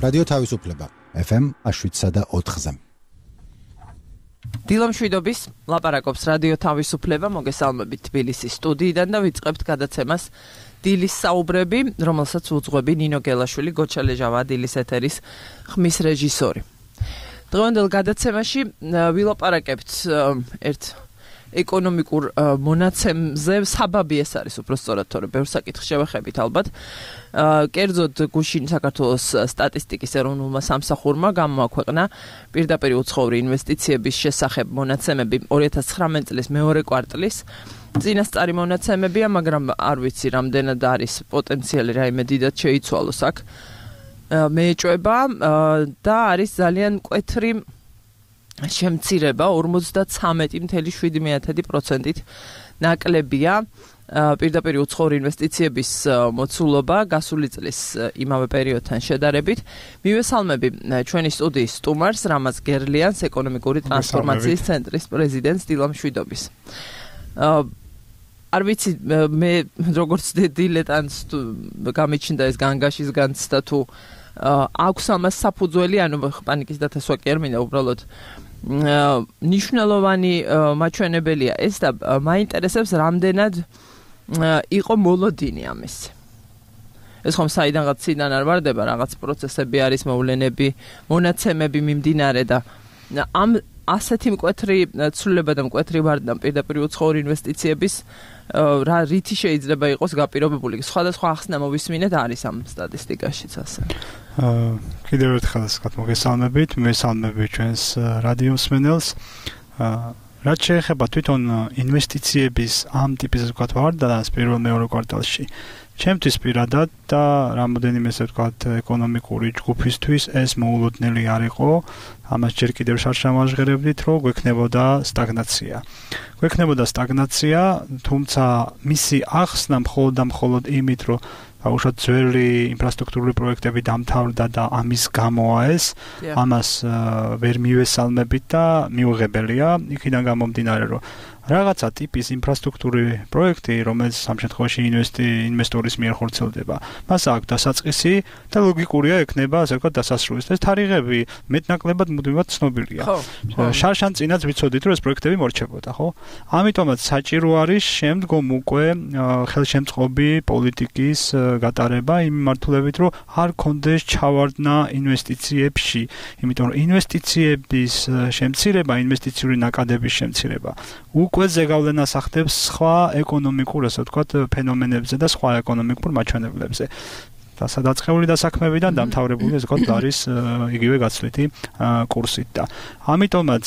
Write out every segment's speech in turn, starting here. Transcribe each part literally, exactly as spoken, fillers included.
რადიო თავისუფლება ეფ ემ შვიდსა და ოთხზე. დილა მშვიდობის ლაპარაკობს რადიო თავისუფლება, მოგესალმებით თბილისის სტუდიიდან და ვიწყებთ გადაცემას დილის საუბრები, რომელსაც უძღვები ნინო გელაშვილი, გოჩა ლეჟავა, დილის ეთერის ხმის რეჟისორი. დღევანდელ გადაცემაში ვილაპარაკებთ ერთ ეკონომიკურ მონაცემზე, საბაბი ეს არის უფრო სწორად, თორე ბევრ საკითხს შევეხებით ალბათ. კერძოდ გუშინ საქართველოს სტატისტიკის ეროვნულმა სამსახურმა გამოაქვეყნა პირდაპირ უცხოური ინვესტიციების შესახებ მონაცემები ორი ათას ცხრამეტი წლის მეორე კვარტლის. წინასწარი მონაცემებია, მაგრამ არ ვიცი რამდენად არის პოტენციალი რაიმე დიდად შეიცვალოს აქ მეეჭვება და არის ძალიან მკვეთრი შემცირება ორმოცდაცამეტი წუთი შვიდი პროცენტით ნაკლებია პირდაპირ უცხოური ინვესტიციების მოცულობა გასული წლის იმავე პერიოდთან შედარებით. მივესალმები ჩვენი სტუდიის სტუმარს, რამაზ გერლიანს, ეკონომიკური ტრანსფორმაციის ცენტრის პრეზიდენტს დილა მშვიდობის. არ ვიცი მე როგორც დილეტანტს გამიჩნდა ეს განგაშის განცდა თუ აქვს ამას საფუძველი, ანუ პანიკის დათასვა კი არ მინდა, უბრალოდ ნიშნულოვანი მაჩვენებელია ეს და მაინტერესებს რამდენად იყო მოლოდინი ამის. ეს ხომ საიდანღაც ციდან არ ვარდება, რაღაც პროცესები არის, მოვლენები, მონაცემები მიმდინარე და ამ ასეთი მკვეთრი ცვლილება და მკვეთრი ვარდნა პირდაპირ უცხოური ინვესტიციების რა რითი შეიძლება იყოს გაპირობებული. სხვადასხვა ახსნა მოვისმინეთ არის ამ სტატისტიკაშიც ასე. კიდევ ერთხელ მოგესალმებით, მესალმებით ჩვენს რადიო მსმენელს. რაც შეეხება თვითონ ინვესტიციების ამ ტიპის ვთქვათ ვარდნას პირველ მეორე კვარტალში, ჩემთვის პირადად და რამოდენიმე ესე ვთქვათ ეკონომიკური ჯგუფისთვის ეს მოულოდნელი არ იყო. ამას ჯერ კიდევ შარშამაჟღერებდით, რომ გვექნებოდა სტაგნაცია. გვექნებოდა სტაგნაცია, თუმცა მისი ახსნა მხოლოდ და მხოლოდ იმით, რომ აუშვათ ძველი ინფრასტრუქტურული პროექტები დამთავრდა და ამის გამოა ეს, ამას ვერ მივესალმებით და მიუღებელია, იქიდან გამომდინარე, რომ რაღაცა ტიპის ინფრასტრუქტურული პროექტი, რომელიც ამ შემთხვევაში ინვესტორის მიერ ხორციელდება, მას აქვს დასაწყისი და ლოგიკურია ექნება, ასე ვთქვათ, დასასრულის. ეს თარიღები მეტნაკლებად მუდმივად ცნობილია. შარშან წინაც ვიცოდით, რომ ეს პროექტები მორჩებოდა, ხო? ამიტომაც საჭირო არის შემდგომ უკვე ხელშემწყობი პოლიტიკის გატარება იმ მიმართულებით, რომ არ კონდეს ჩავარდნა ინვესტიციებში, იმიტომ რომ ინვესტიციების შემცირება, ინვესტიციური ნაკადების შემცირება უკვე ზეგავლენას ახდებს სხვა ეკონომიკურ, ასე ვთქვათ, ფენომენებზე და სხვა ეკონომიკურ მაჩვენებლებზე. და სადაწყეული დასაქმებიდან დამთავრებული, ასე ვთქვათ, არის იგივე გაცვლითი კურსით და ამიტომაც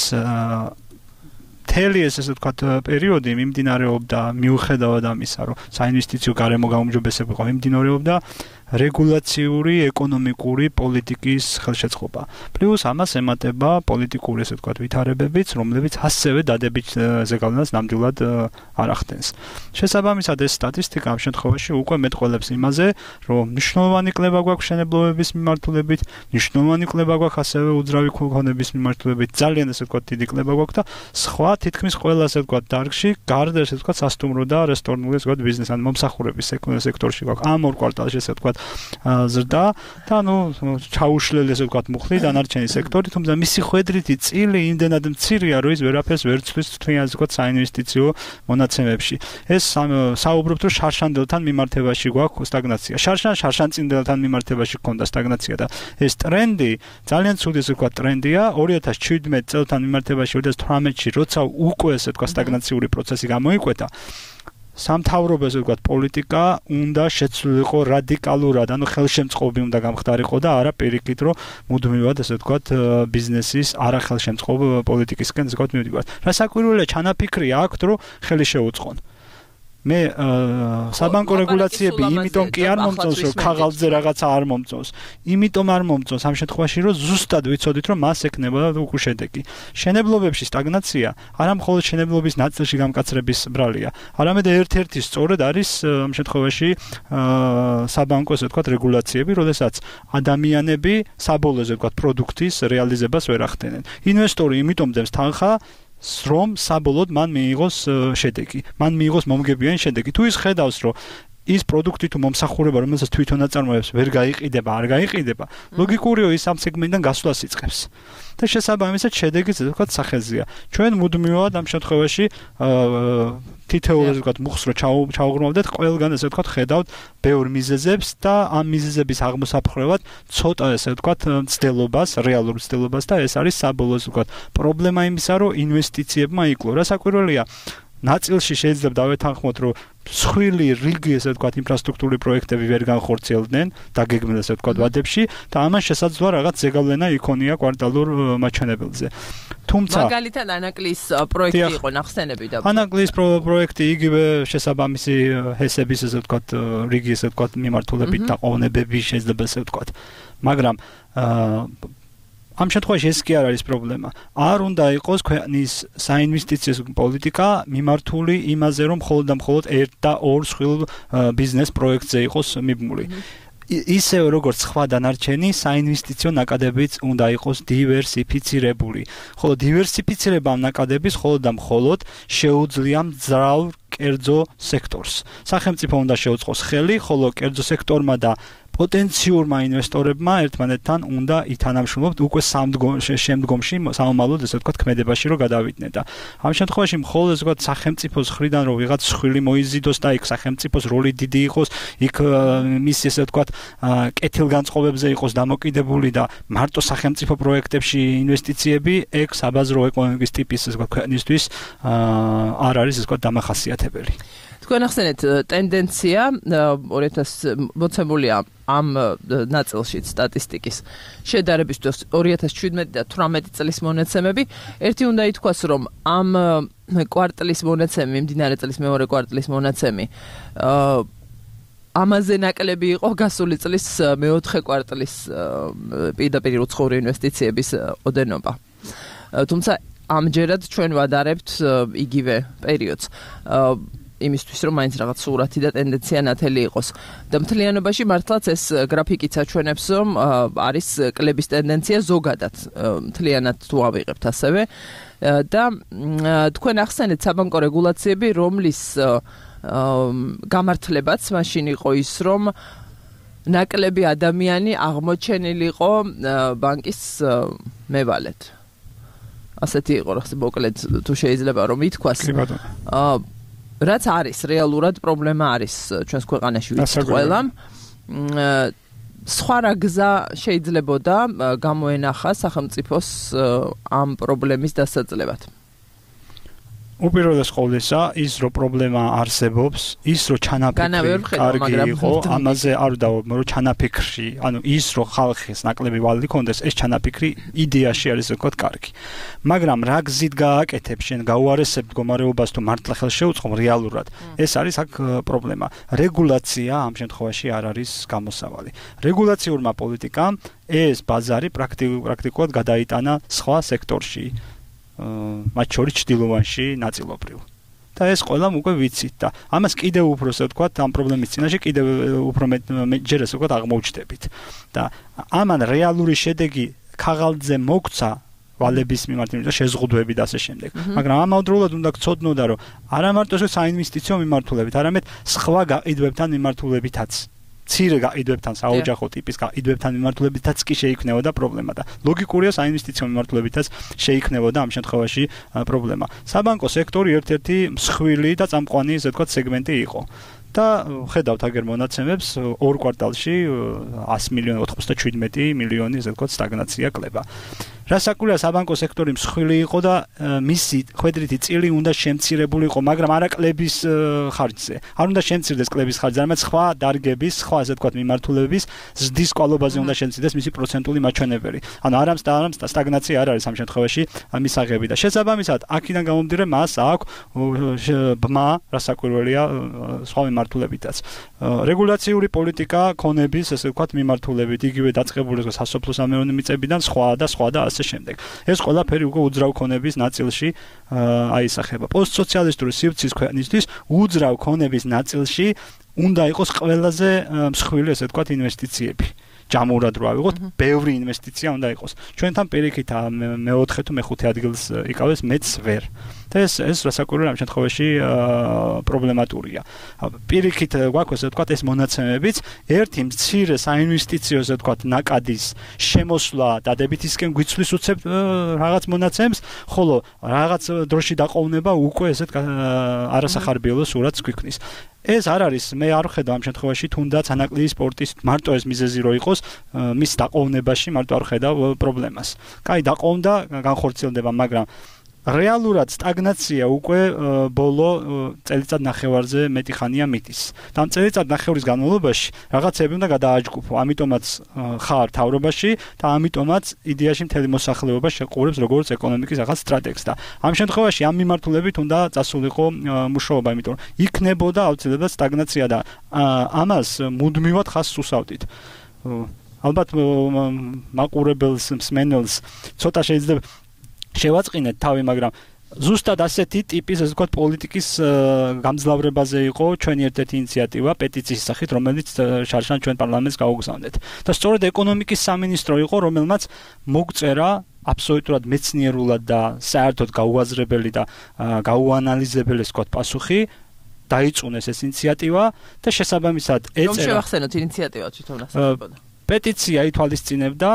მთელი ეს ასე ვთქვათ პერიოდი მიმდინარეობდა მიუხედავად ამისა, რომ საინვესტიციო გარემო გაუმჯობესება იყო, მიმდინარეობდა რეგულაციური ეკონომიკური პოლიტიკის ხელშეწყობა. პლუს ამას ემატება პოლიტიკური ესე ვთქვათ ვითარებებიც, რომლებიც ასევე დადებით ზეგავლენას ნამდვილად არ ახდენს. შესაბამისად ეს სტატისტიკა ამ შემთხვევაში უკვე მეტყველებს იმაზე, რომ მნიშვნელოვანი კლება გვაქვს მშენებლობების მიმართულებით, მნიშვნელოვანი კლება გვაქვს ასევე უძრავი ქონების მიმართულებით, ძალიან ესე ვთქვათ დიდი კლება გვაქვს და სხვა თითქმის ყველა ესე ვთქვათ დარგში, გარდა ესე ვთქვათ სასტუმრო და რესტორნული ესე ვთქვათ ბიზნეს ან მომსახურების სექტორში გვაქვს ამ ორ კვარტალში ესე ვთქვათ ზრდა და ნუ ჩაუშლელი ესე ვთქვათ მუხლი დანარჩენი სექტორი, თუმცა მისი ხვედრითი წილი იმდენად მცირეა, რომ ის ვერაფერს ვერ ცვლის თვითონ ასე ვთქვათ საინვესტიციო მონაცემებში. ეს საუბრობთ, რომ შარშანდელთან მიმართებაში გვაქვს სტაგნაცია. შარშან შარშანწინდელთან მიმართებაში გქონდა სტაგნაცია და ეს ტრენდი ძალიან ცუდი ესე ვთქვათ ტრენდია ორი ათას შვიდმეტი წელთან მიმართებაში ორი ათას თვრამეტში, როცა უკვე ესე ვთქვათ სტაგნაციური პროცესი გამოიკვეთა. სამთავრობო ესე ვთქვათ პოლიტიკა უნდა შეცვლილიყო რადიკალურად, ანუ ხელშემწყობი უნდა გამხდარიყო და არა პირიქით, რომ მუდმივად ესე ვთქვათ ბიზნესის არახელშემწყობ პოლიტიკისკენ ესე ვთქვათ მივდივართ. რა საკვირველია ჩანაფიქრია აქვთ, რომ ხელი შეუწყონ. მე საბანკო რეგულაციები იმიტომ კი არ მომწონს, რომ ქაღალდზე რაღაცა არ მომწონს. იმიტომ არ მომწონს ამ შემთხვევაში, რომ ზუსტად ვიცოდით, რომ მას ექნებოდა უკვე შედეგი. შენებლობებში სტაგნაცია არა მხოლოდ შენებლობის ნაწილში გამკაცრების ბრალია, არამედ ერთ-ერთი სწორედ არის ამ შემთხვევაში საბანკო ესე ვთქვათ რეგულაციები, როდესაც ადამიანები საბოლოო ესე ვთქვათ პროდუქტის რეალიზებას ვერ ახდენენ. ინვესტორი იმიტომ დებს თანხა რომ საბოლოოდ მან მიიღოს შედეგი, მან მიიღოს მომგებიანი შედეგი. თუ ის ხედავს, რომ ის პროდუქტი თუ მომსახურება, რომელსაც თვითონ აწარმოებს, ვერ გაიყიდება, არ გაიყიდება, ლოგიკურია ის ამ სეგმენტიდან გასვლას იწყებს. და შესაბამისად შედეგიც ასე ვთქვათ სახელზეა. ჩვენ მუდმივად ამ შემთხვევაში თითოეულ ასე ვთქვათ მუხს რო ჩაუღრმავდეთ, ყველგან ასე ვთქვათ ხედავთ ბევრ მიზეზებს და ამ მიზეზების აღმოსაფხრევად ცოტა ასე ვთქვათ ცდელობას, რეალურ ცდელობას და ეს არის საბოლოო ასე ვთქვათ პრობლემა იმისა, რომ ინვესტიციებმა იკლო. რა საკვირველია, ნაწილში შეიძლება დავეთანხმოთ, რომ მსხვილი რიგი ასე ვთქვათ ინფრასტრუქტურული პროექტები ვერ განხორციელდნენ დაგეგმილ ასე ვთქვათ ვადებში და ამან შესაძლოა რაღაც ზეგავლენა იქონია კვარტალურ მაჩვენებელზე. თუმცა მაგალითად ანაკლის პროექტი იყო ნახსენები და ანაკლის პროექტი იგივე შესაბამისი ჰესების ასე ვთქვათ რიგი ასე ვთქვათ მიმართულებით და ყოვნებები შეიძლება ასე ვთქვათ. მაგრამ ამ შემთხვევაში ეს კი არ არის პრობლემა. არ უნდა იყოს ქვეყნის საინვესტიციო პოლიტიკა მიმართული იმაზე, რომ მხოლოდ და მხოლოდ ერთ და ორ სხვილ ბიზნეს პროექტზე იყოს მიბმული. ისევ როგორც სხვა დანარჩენი საინვესტიციო ნაკადებიც უნდა იყოს დივერსიფიცირებული. ხოლო დივერსიფიცირება ამ ნაკადების მხოლოდ და მხოლოდ შეუძლია მძრავ კერძო სექტორს. სახელმწიფო უნდა შეუწყოს ხელი, ხოლო კერძო სექტორმა და პოტენციურმა ინვესტორებმა ერთმანეთთან უნდა ითანამშრომლოთ უკვე შემდგომში სამომავლოდ ესე ვთქვათ ქმედებაში რომ გადავიდნენ და ამ შემთხვევაში მხოლოდ ესე ვთქვათ სახელმწიფოს ხრიდან რომ ვიღაც სხვილი მოიზიდოს და იქ სახელმწიფოს როლი დიდი იყოს, იქ მისი ესე ვთქვათ კეთილგანწყობებზე იყოს დამოკიდებული და მარტო სახელმწიფო პროექტებში ინვესტიციები ეგ საბაზრო ეკონომიკის ტიპის ესე ვთქვათ ქვეყნისთვის არ არის ესე ვთქვათ დამახასიათებელი. თქვენ ახსენეთ ტენდენცია ორი ათას მოცემულია ამ ნაწილშიც სტატისტიკის შედარებისთვის ორი ათას შვიდმეტი და თვრამეტი წლის მონაცემები. ერთი უნდა ითქვას, რომ ამ კვარტალის მონაცემი, მიმდინარე წლის მეორე კვარტალის მონაცემი ამაზე ნაკლები იყო გასული წლის მეოთხე კვარტალის პირდაპირ უცხოური ინვესტიციების ოდენობა. თუმცა ამჯერად ჩვენ ვადარებთ იგივე პერიოდს. იმისთვის რომ მაინც რაღაც სურათი და ტენდენცია ნათელი იყოს. და მთლიანობაში მართლაც ეს გრაფიკიც აჩვენებს, რომ არის კლების ტენდენცია ზოგადად მთლიანად თუ ავიღებთ ასევე და თქვენ ახსენეთ საბანკო რეგულაციები, რომლის გამართლებაც მაშინ იყო ის, რომ ნაკლები ადამიანი აღმოჩენილიყო ბანკის მევალედ. ასეთი იყო რა მოკლედ თუ შეიძლება რომ ითქვას. აა რაც არის რეალურად პრობლემა არის ჩვენს ქვეყანაში ვიცით ყველამ. სხვა რა გზა შეიძლებოდა გამოენახა სახელმწიფოს ამ პრობლემის დასაძლევად? უპირველეს ყოვლისა, ის რომ პრობლემა არსებობს, ის რომ ჩანაფიქრი კარგი იყო, ამაზე არ ვდავალ, რომ ჩანაფიქრში, ანუ ის რომ ხალხის ნაკლები ვალი კონდეს, ეს ჩანაფიქრი იდეაში არის ვთქვათ კარგი. მაგრამ რა გზით გააკეთებ შენ გაუარესებ მდგომარეობას თუ მართლა ხელს შეუწყობ რეალურად, ეს არის აქ პრობლემა. რეგულაცია ამ შემთხვევაში არ არის გამოსავალი. რეგულაციურმა პოლიტიკამ ეს ბაზარი პრაქტიკულად გადაიტანა სხვა სექტორში. მათ შორის ჭდილოვანში ნაწილობრივ. და ეს ყველამ უკვე ვიცით და ამას კიდევ უფრო ასე ვთქვათ ამ პრობლემის წინაშე კიდევ უფრო ჯერ ასე ვთქვათ აღმოჩნდებით. და ამან რეალური შედეგი ქაღალდზე მოგცა ვალების მიმართ და შეზღუდვები და ასე შემდეგ. მაგრამ ამავდროულად უნდა გცოდნოდა რომ არა მარტო საინვესტიციო მიმართულებით, არამედ სხვა გაყიდვებთან მიმართულებითაც ცირე გაყიდვებთან, საოჯახო ტიპის გაყიდვებთან მიმართულებითაც კი შეიქმნებოდა პრობლემა და ლოგიკურია საინვესტიციო მიმართულებითაც შეიქმნებოდა ამ შემთხვევაში პრობლემა. საბანკო სექტორი ერთ-ერთი მსხვილი და წამყვანი ესე ვთქვათ სეგმენტი იყო. და ხედავთ აგერ მონაცემებს ორ კვარტალში ას მილიონი ოთხმოცდაშვიდმეტი მილიონი ესე ვთქვათ სტაგნაცია კლება. რასაკვირველია საბანკო სექტორი მსხვილი იყო და მისი ხვედრითი წილი უნდა შემცირებულიყო, მაგრამ არა კლების ხარჯზე. არ უნდა შემცირდეს კლების ხარჯზე, არამედ სხვა დარგების, სხვა ასე ვთქვათ მიმართულების ზრდის კვალობაზე უნდა შემცირდეს მისი პროცენტული მაჩვენებელი. ანუ არამც და არამც სტაგნაცია არ არის ამ შემთხვევაში მისაღები და შესაბამისად აქედან გამომდინარე მას აქვს ბმა, რასაკვირველია სხვა მიმართულებითაც. რეგულაციური პოლიტიკა ქონების ასე ვთქვათ მიმართულებით, იგივე დაწყებული სასოფლო სამეურნეო მიწებიდან სხვა და სხვა და ასე შემდეგ. ეს ყველაფერი უკვე უძრავ ქონების ნაწილში აისახება. პოსტსოციალისტური სივრცის ქვეყნისთვის უძრავ ქონების ნაწილში უნდა იყოს ყველაზე მსხვილი, ესე ვთქვათ, ინვესტიციები. ჯამურად რო ავიღოთ, ბევრი ინვესტიცია უნდა იყოს. ჩვენთან პირიქით მეოთხე თუ მეხუთე ადგილს იკავებს, მეც ვერ. და ეს ეს რასაკვირველია ამ შემთხვევაში პრობლემატურია. პირიქით გვაქვს ესე ვთქვათ ეს მონაცემებიც, ერთი მცირე საინვესტიციო ესე ვთქვათ ნაკადის შემოსვლა დადებითისკენ გვიცვლის უცებ რაღაც მონაცემს, ხოლო რაღაც დროში დაყოვნება უკვე ესეთ არასახარბიელო სურათს გვიქმნის. ეს არ არის, მე არ ვხედავ ამ შემთხვევაში თუნდაც ანაკლიის სპორტის მარტო ეს მიზეზი რო იყოს, მის დაყოვნებაში მარტო არ ხედავ პრობლემას. კაი, დაყოვნდა, განხორციელდება, მაგრამ რეალურად სტაგნაცია უკვე ბოლო წელიწად ნახევარზე მეტი ხანია მიდის. და ამ წელიწად ნახევრის განმავლობაში რაღაცები უნდა გადააჯგუფო, ამიტომაც ხარ თავრობაში და ამიტომაც იდეაში მთელი მოსახლეობა შეყურებს როგორც ეკონომიკის ახალ სტრატეგიას და ამ შემთხვევაში ამ მიმართულებით უნდა წასულიყო მუშაობა, იმიტომ რომ იქნებოდა აუცილებლად სტაგნაცია და ამას მუდმივად ხაზს უსავდით. ალბათ მაყურებელს, მსმენელს ცოტა შეიძლება შევაწყინეთ თავი, მაგრამ ზუსტად ასეთი ტიპის, ასე ვთქვათ, პოლიტიკის გამძლავრებაზე იყო ჩვენი ერთ-ერთი ინიციატივა პეტიციის სახით, რომელიც შარშან ჩვენ პარლამენტს გაუგზავნეთ. და სწორედ ეკონომიკის სამინისტრო იყო, რომელმაც მოგწერა აბსოლუტურად მეცნიერულად და საერთოდ გაუაზრებელი და გაუანალიზებელი, ასე ვთქვათ, პასუხი დაიწუნეს ეს ინიციატივა და შესაბამისად ეწერა. რომ შევახსენოთ ინიციატივა თვითონ ასწავლებოდა. პეტიცია ითვალისწინებდა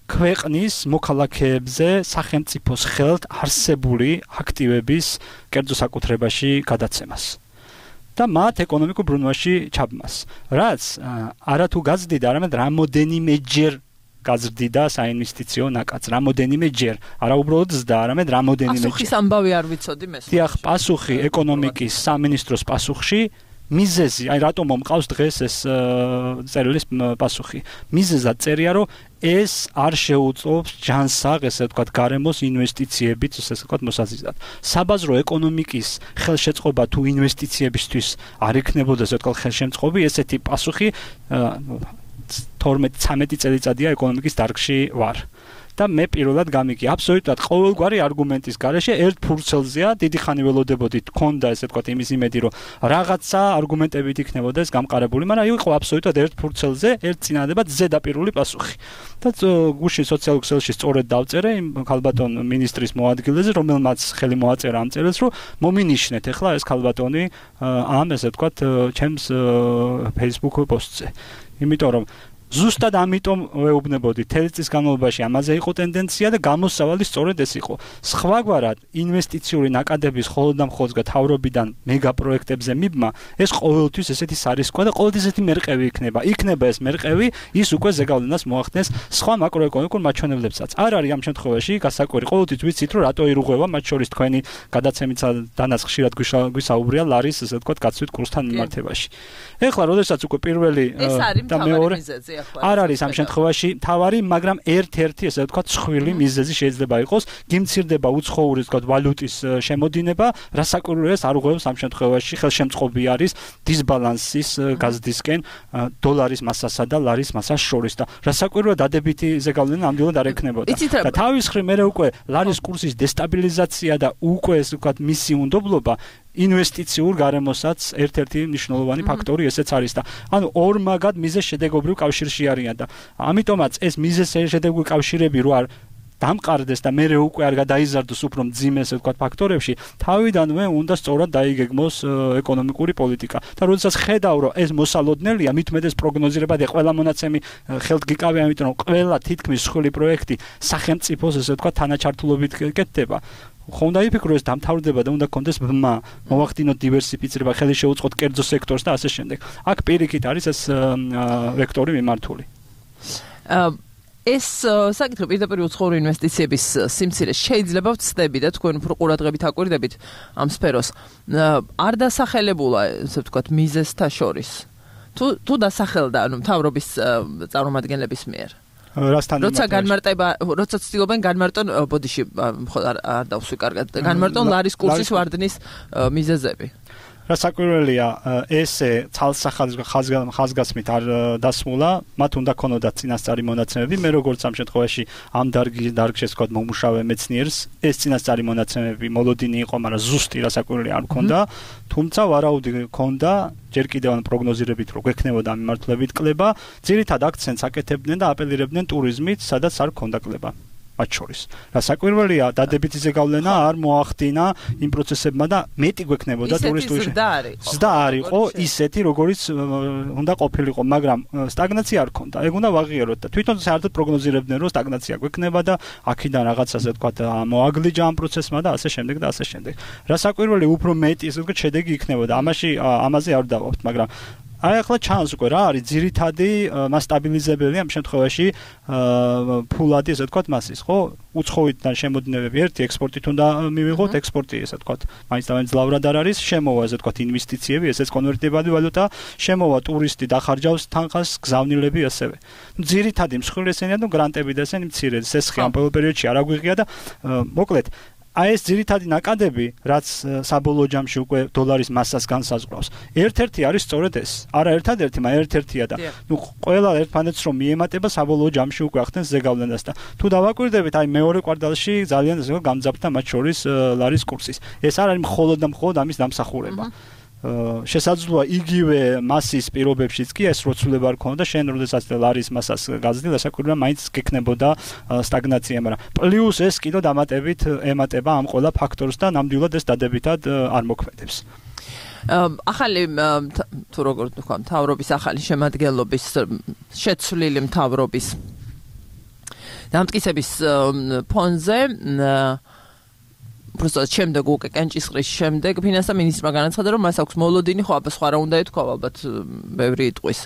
ქვეყნის მოქალაქეებზე სახელმწიფოს ხელთ არსებული აქტივების კერძო საკუთრებაში გადაცემას და მათ ეკონომიკურ ბრუნვაში ჩაბმას. რაც არათუ გაზრდიდა, არამედ რამოდენიმეჯერ გაზრდიდა საინვესტიციო ნაკადს, რამოდენიმეჯერ, არა უბრალოდ ზრდა, არამედ რამოდენიმეჯერ. პასუხის ამბავი არ ვიცოდი მე. დიახ, პასუხი ეკონომიკის სამინისტროს პასუხში მიზეზი, აი რატომ მომყავს დღეს ეს წერილის პასუხი. მიზეზად წერია, რომ ეს არ შეუწყობს ჯანსაღ, ესე ვთქვათ, გარემოს ინვესტიციებით, ესე ვთქვათ, მოსაზრდად. საბაზრო ეკონომიკის ხელშეწყობა თუ ინვესტიციებისთვის არ იქნებოდა, ესე ვთქვათ, ხელშემწყობი, ესეთი პასუხი თორმეტი ცამეტი წელიწადია ეკონომიკის დარგში ვარ. და მე პირველად გამიგი აბსოლუტურად ყოველგვარი არგუმენტის გარეშე ერთ ფურცელზეა დიდი ხანი ველოდებოდი თქონდა ესე ვთქვათ იმის იმედი რომ რაღაცა არგუმენტებით იქნებოდა ეს გამყარებული, მაგრამ იყო აბსოლუტურად ერთ ფურცელზე ერთ წინადადებად ზედაპირული პასუხი. და გუშინ სოციალურ ქსელში სწორედ დავწერე იმ ქალბატონ მინისტრის მოადგილეზე, რომელმაც ხელი მოაწერა ამ წერილს, რომ მომინიშნეთ ახლა ეს ქალბატონი ამ ესე ვთქვათ ჩემს Facebook პოსტზე. იმიტომ რომ ზუსტად ამიტომ ვეუბნებოდი თელი წლის განმავლობაში ამაზე იყო ტენდენცია და გამოსავალი სწორედ ეს იყო. სხვაგვარად ინვესტიციური ნაკადების მხოლოდ და მხოლოდ თავრობიდან მეგა პროექტებზე მიბმა ეს ყოველთვის ესეთი სარისკოა და ყოველთვის ესეთი მერყევი იქნება. იქნება ეს მერყევი, ის უკვე ზეგავლენას მოახდენს სხვა მაკროეკონომიკურ მაჩვენებლებსაც. არ არის ამ შემთხვევაში გასაკვირი. ყოველთვის ვიცით რომ რატო ირუღება, მათ შორის თქვენი გადაცემით დანაც ხშირად გვისაუბრია ლარის ესე ვთქვათ გაცვით კურსთან მიმართებაში. ეხლა როდესაც უკვე პირველი და მეორე არ არის ამ შემთხვევაში თავარი, მაგრამ ერთ-ერთი ესე ვთქვათ ცხვილი მიზეზი შეიძლება იყოს, გიმცირდება უცხოური ვთქვათ ვალუტის შემოდინება, რასაკვირველია არ უღებს ამ შემთხვევაში ხელშემწყობი არის დისბალანსის გაზრდისკენ დოლარის მასასა და ლარის მასას შორის და რასაკვირველია დადებითი ზეგავლენა ამდენად არ ექნებოდა. და თავის მხრივ მე უკვე ლარის კურსის დესტაბილიზაცია და უკვე ესე ვთქვათ მისი უნდობლობა ინვესტიციურ გარემოსაც ერთ-ერთი მნიშვნელოვანი ფაქტორი ესეც არის და ანუ ორმაგად მიზეზ-შედეგობრივ კავშირში არიან და ამიტომაც ეს მიზეზ-შედეგობრივი კავშირები რო არ დამყარდეს და მე უკვე არ გადაიზარდოს უფრო მძიმე ესე ვთქვათ ფაქტორებში, თავიდანვე უნდა სწორად დაიგეგმოს ეკონომიკური პოლიტიკა. და როდესაც ხედავ რომ ეს მოსალოდნელია, მithumetes პროგნოზირებადი ყველა მონაცემი ხელთ გიკავია, იმიტომ რომ ყველა თითქმის სხვილი პროექტი სახელმწიფოს ესე ვთქვათ თანაჩართულობით კეთდება. ხონდა იფიქრო ეს დამთავრდება და უნდა კონდეს ბმა, მოვახდინოთ დივერსიფიცირება, ხელი შეუწყოთ კერძო სექტორს და ასე შემდეგ. აქ პირიქით არის ეს ვექტორი მიმართული. ეს საკითხი პირდაპირ უცხოური ინვესტიციების სიმცირე შეიძლება ვცდები და თქვენ უფრო ყურადღებით აკვირდებით ამ სფეროს. არ დასახელებულა, ესე ვთქვათ, მიზეზთა შორის. თუ თუ დასახელდა, ანუ მთავრობის წარმომადგენლების მიერ. რასთან როცა განმარტება, როცა ცდილობენ განმარტონ ბოდიში არ დავსვი კარგად, განმარტონ ლარის კურსის ვარდნის მიზეზები. რა საკვირველია ესე ხაზგასმით არ დასმულა, მათ უნდა ქონოდათ წინასწარი მონაცემები, მე როგორც ამ შემთხვევაში ამ დარგის დარგში ვთქვათ მომუშავე მეცნიერს, ეს წინასწარი მონაცემები მოლოდინი იყო, მაგრამ ზუსტი რა საკვირველი არ მქონდა, თუმცა ვარაუდი მქონდა, ჯერ კიდევ ან პროგნოზირებით რო გვექნებოდა მიმართულებით კლება, ძირითად აქცენტს აკეთებდნენ და აპელირებდნენ ტურიზმით, სადაც არ მქონდა კლება. მათ შორის. რა საკვირველია, დადებითი ზეგავლენა არ მოახდინა იმ პროცესებმა და მეტი გვექნებოდა ტურისტული. ზრდა არ იყო ისეთი, როგორიც უნდა ყოფილიყო, მაგრამ სტაგნაცია არ ქონდა. ეგ უნდა ვაღიაროთ და თვითონ საერთოდ პროგნოზირებდნენ, რომ სტაგნაცია გვექნება და აქედან რაღაც ასე ვთქვათ, მოაგლიჯა ამ პროცესმა და ასე შემდეგ და ასე შემდეგ. რა საკვირველი უფრო მეტი ასე ვთქვათ, შედეგი იქნებოდა. ამაში ამაზე არ დავაყოთ, მაგრამ აი ახლა ჩანს უკვე რა არის ძირითადი მასტაბილიზებელი ამ შემთხვევაში ფულადი ესე ვთქვათ მასის ხო უცხოეთიდან შემოდინებები ერთი ექსპორტით უნდა მივიღოთ ექსპორტი ესე ვთქვათ მაინც და მაინც ლავრად არ არის შემოვა ესე ვთქვათ ინვესტიციები ესეც კონვერტირებადი ვალუტა შემოვა ტურისტი დახარჯავს თანხას გზავნილები ასევე ძირითადი მსხვილი ესენია და გრანტები და ესენი მცირე სესხი ამ პერიოდში არ აგვიღია და მოკლედ აი ეს ძირითადი ნაკადები, რაც საბოლოო ჯამში უკვე დოლარის მასას განსაზღვრავს. ერთ-ერთი არის სწორედ ეს. არა ერთადერთი, მაგრამ ერთ-ერთია და ნუ ყველა ერთმანეთს რომ მიემატება საბოლოო ჯამში უკვე ახდენს ზეგავლენას და თუ დავაკვირდებით, აი მეორე კვარტალში ძალიან ასე გამძაფრდა მათ შორის ლარის კურსის. ეს არ არის მხოლოდ და მხოლოდ ამის დამსახურება. შესაძლოა იგივე მასის პირობებშიც კი ეს როცულება არ ქონოდა შენ როდესაც ლარის მასას გაზრდილ ასაკურა მაინც გექნებოდა სტაგნაცია მაგრამ პლუს ეს კიდო დამატებით ემატება ამ ყველა ფაქტორს და ნამდვილად ეს დადებითად არ მოქმედებს ახალი თუ როგორ ვთქვა მთავრობის ახალი შემადგენლობის შეცვლილი მთავრობის დამტკიცების ფონზე просто შემდეგ უკვე კენჭისყრის შემდეგ ფინანსთა მინისტრმა განაცხადა რომ მას აქვს მოლოდინი ხო აბა სხვა რა უნდა ეთქვა ალბათ ბევრი იტყვის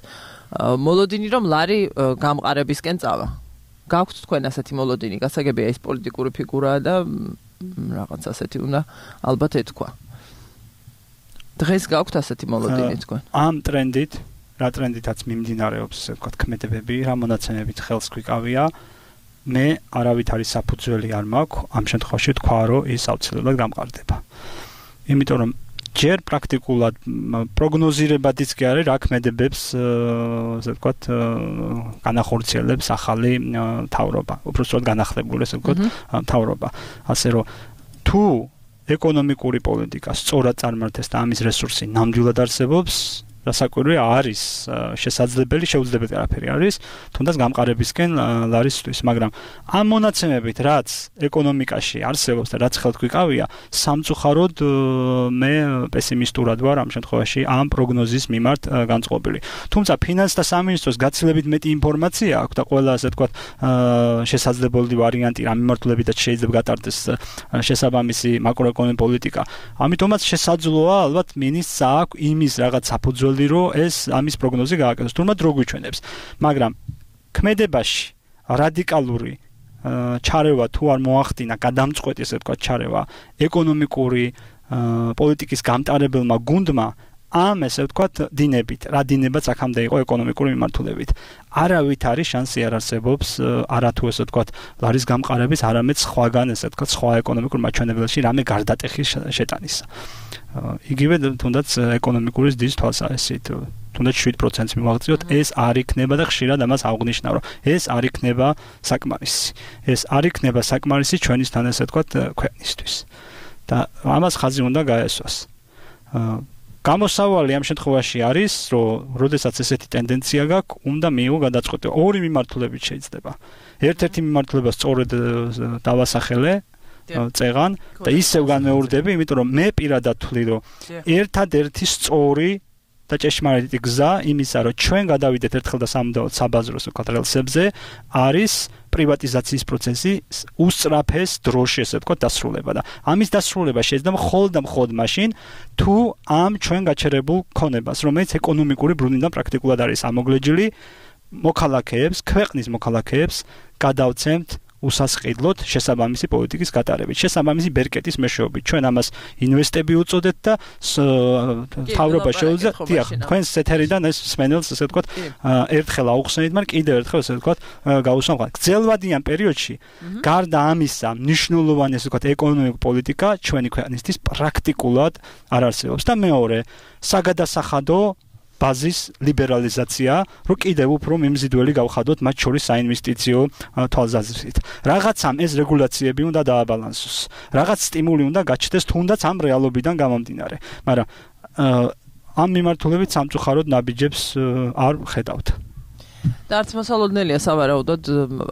მოლოდინი რომ ლარი გამყარებისკენ წავა გაქვთ თქვენ ასეთი მოლოდინი გასაგებია ის პოლიტიკური ფიგურაა და რაღაც ასეთი უნდა ალბათ ეთქვა დღეს გაქვთ ასეთი მოლოდინი თქვენ ამ ტრენდით რა ტრენდითაც მიმდინარეობს ესე ვთქვათ ქმედებები რა მონაცემებით ხელს გვიკავია მე არავით არის საფუძველი არ მაქვს ამ შემთხვევაში თქვა რომ ის აუცილებლად გამყარდება. იმიტომ რომ ჯერ პრაქტიკულად პროგნოზირებადიც კი არის რა ქმედებებს ასე ვთქვათ განახორციელებს ახალი მთავრობა. უბრალოდ განახლებული ასე ვთქვათ მთავრობა. ასე რომ თუ ეკონომიკური პოლიტიკა სწორად წარმართეს და ამის რესურსი ნამდვილად არსებობს რასაკვირველი არის შესაძლებელი შეუძლებელი არაფერი არის თუნდაც გამყარებისკენ ლარისთვის მაგრამ ამ მონაცემებით რაც ეკონომიკაში არსებობს და რაც ხელთ გვიკავია სამწუხაროდ მე პესიმისტურად ვარ ამ შემთხვევაში ამ პროგნოზის მიმართ განწყობილი თუმცა ფინანსთა სამინისტროს გაცილებით მეტი ინფორმაცია აქვს და ყველა ასე ვთქვათ შესაძლებელი ვარიანტი რა მიმართულებითაც შეიძლება გატარდეს შესაბამისი მაკროეკონომიკური პოლიტიკა ამიტომაც შესაძლოა ალბათ მინისტრს აქვს იმის რაღაც საფუძველი რომ ეს ამის პროგნოზი გააკეთოს. თუმცა დრო გვიჩვენებს. მაგრამ ქმედებაში რადიკალური ჩარევა თუ არ მოახდინა, გადამწყვეტი ესე ვთქვათ ჩარევა ეკონომიკური პოლიტიკის გამტარებელმა გუნდმა ამ ესე ვთქვათ დინებით, რა დინებაც აქამდე იყო ეკონომიკური მიმართულებით. არავით არის შანსი არ არსებობს არათუ ესე ვთქვათ ლარის გამყარების, არამედ სხვაგან ესე ვთქვათ სხვა ეკონომიკურ მაჩვენებელში რამე გარდატეხის შეტანისა. იგივე თუნდაც ეკონომიკური ზრდის თვალსაზრისით თუნდაც შვიდ პროცენტს მივაღწიოთ ეს არ იქნება და ხშირად ამას აღვნიშნავ რომ ეს არ იქნება საკმარისი ეს არ იქნება საკმარისი ჩვენისთან ესე ვთქვათ ქვეყნისთვის და ამას ხაზი უნდა გაესვას გამოსავალი ამ შემთხვევაში არის რომ როდესაც ესეთი ტენდენცია გაქვს უნდა მიიღო გადაწყვეტილება ორი მიმართულებით შეიძლება ერთ-ერთი მიმართულება სწორედ დავასახელე წეღან და ისევ განმეორდები, იმიტომ რომ მე პირადად ვთვლი, რომ ერთადერთი სწორი და ჭეშმარიტი გზა იმისა, რომ ჩვენ გადავიდეთ ერთხელ და სამუდამოდ საბაზროს ვთქვათ რელსებზე, არის პრივატიზაციის პროცესი უსწრაფეს დროში ესე ვთქვათ დასრულება და ამის დასრულება შეიძლება მხოლოდ და მხოლოდ მაშინ, თუ ამ ჩვენ გაჩერებულ ქონებას, რომელიც ეკონომიკური ბრუნვიდან პრაქტიკულად არის ამოგლეჯილი, მოქალაქეებს, ქვეყნის მოქალაქეებს გადავცემთ უსასყიდლოდ შესაბამისი პოლიტიკის გატარებით, შესაბამისი ბერკეტის მეშვეობით. ჩვენ ამას ინვესტები უწოდეთ და თავრობა შეუძლია, დიახ, თქვენს ეთერიდან ეს სმენელს ესე ვთქვათ, ერთხელ აუხსენით, მაგრამ კიდევ ერთხელ ესე ვთქვათ, გაუსამხლავთ. გრძელვადიან პერიოდში გარდა ამისა, მნიშვნელოვანი ესე ვთქვათ, ეკონომიკური პოლიტიკა ჩვენი ქვეყნისთვის პრაქტიკულად არ არსებობს და მეორე, საგადასახადო ბაზის ლიბერალიზაცია, რომ კიდევ უფრო მიმზიდველი გავხადოთ მათ შორის საინვესტიციო თვალსაზრისით. რაღაცამ ეს რეგულაციები უნდა დააბალანსოს. რაღაც სტიმული უნდა გაჩნდეს თუნდაც ამ რეალობიდან გამომდინარე. მაგრამ ამ მიმართულებით სამწუხაროდ ნაბიჯებს არ ხედავთ. და არც მოსალოდნელია სავარაუდოდ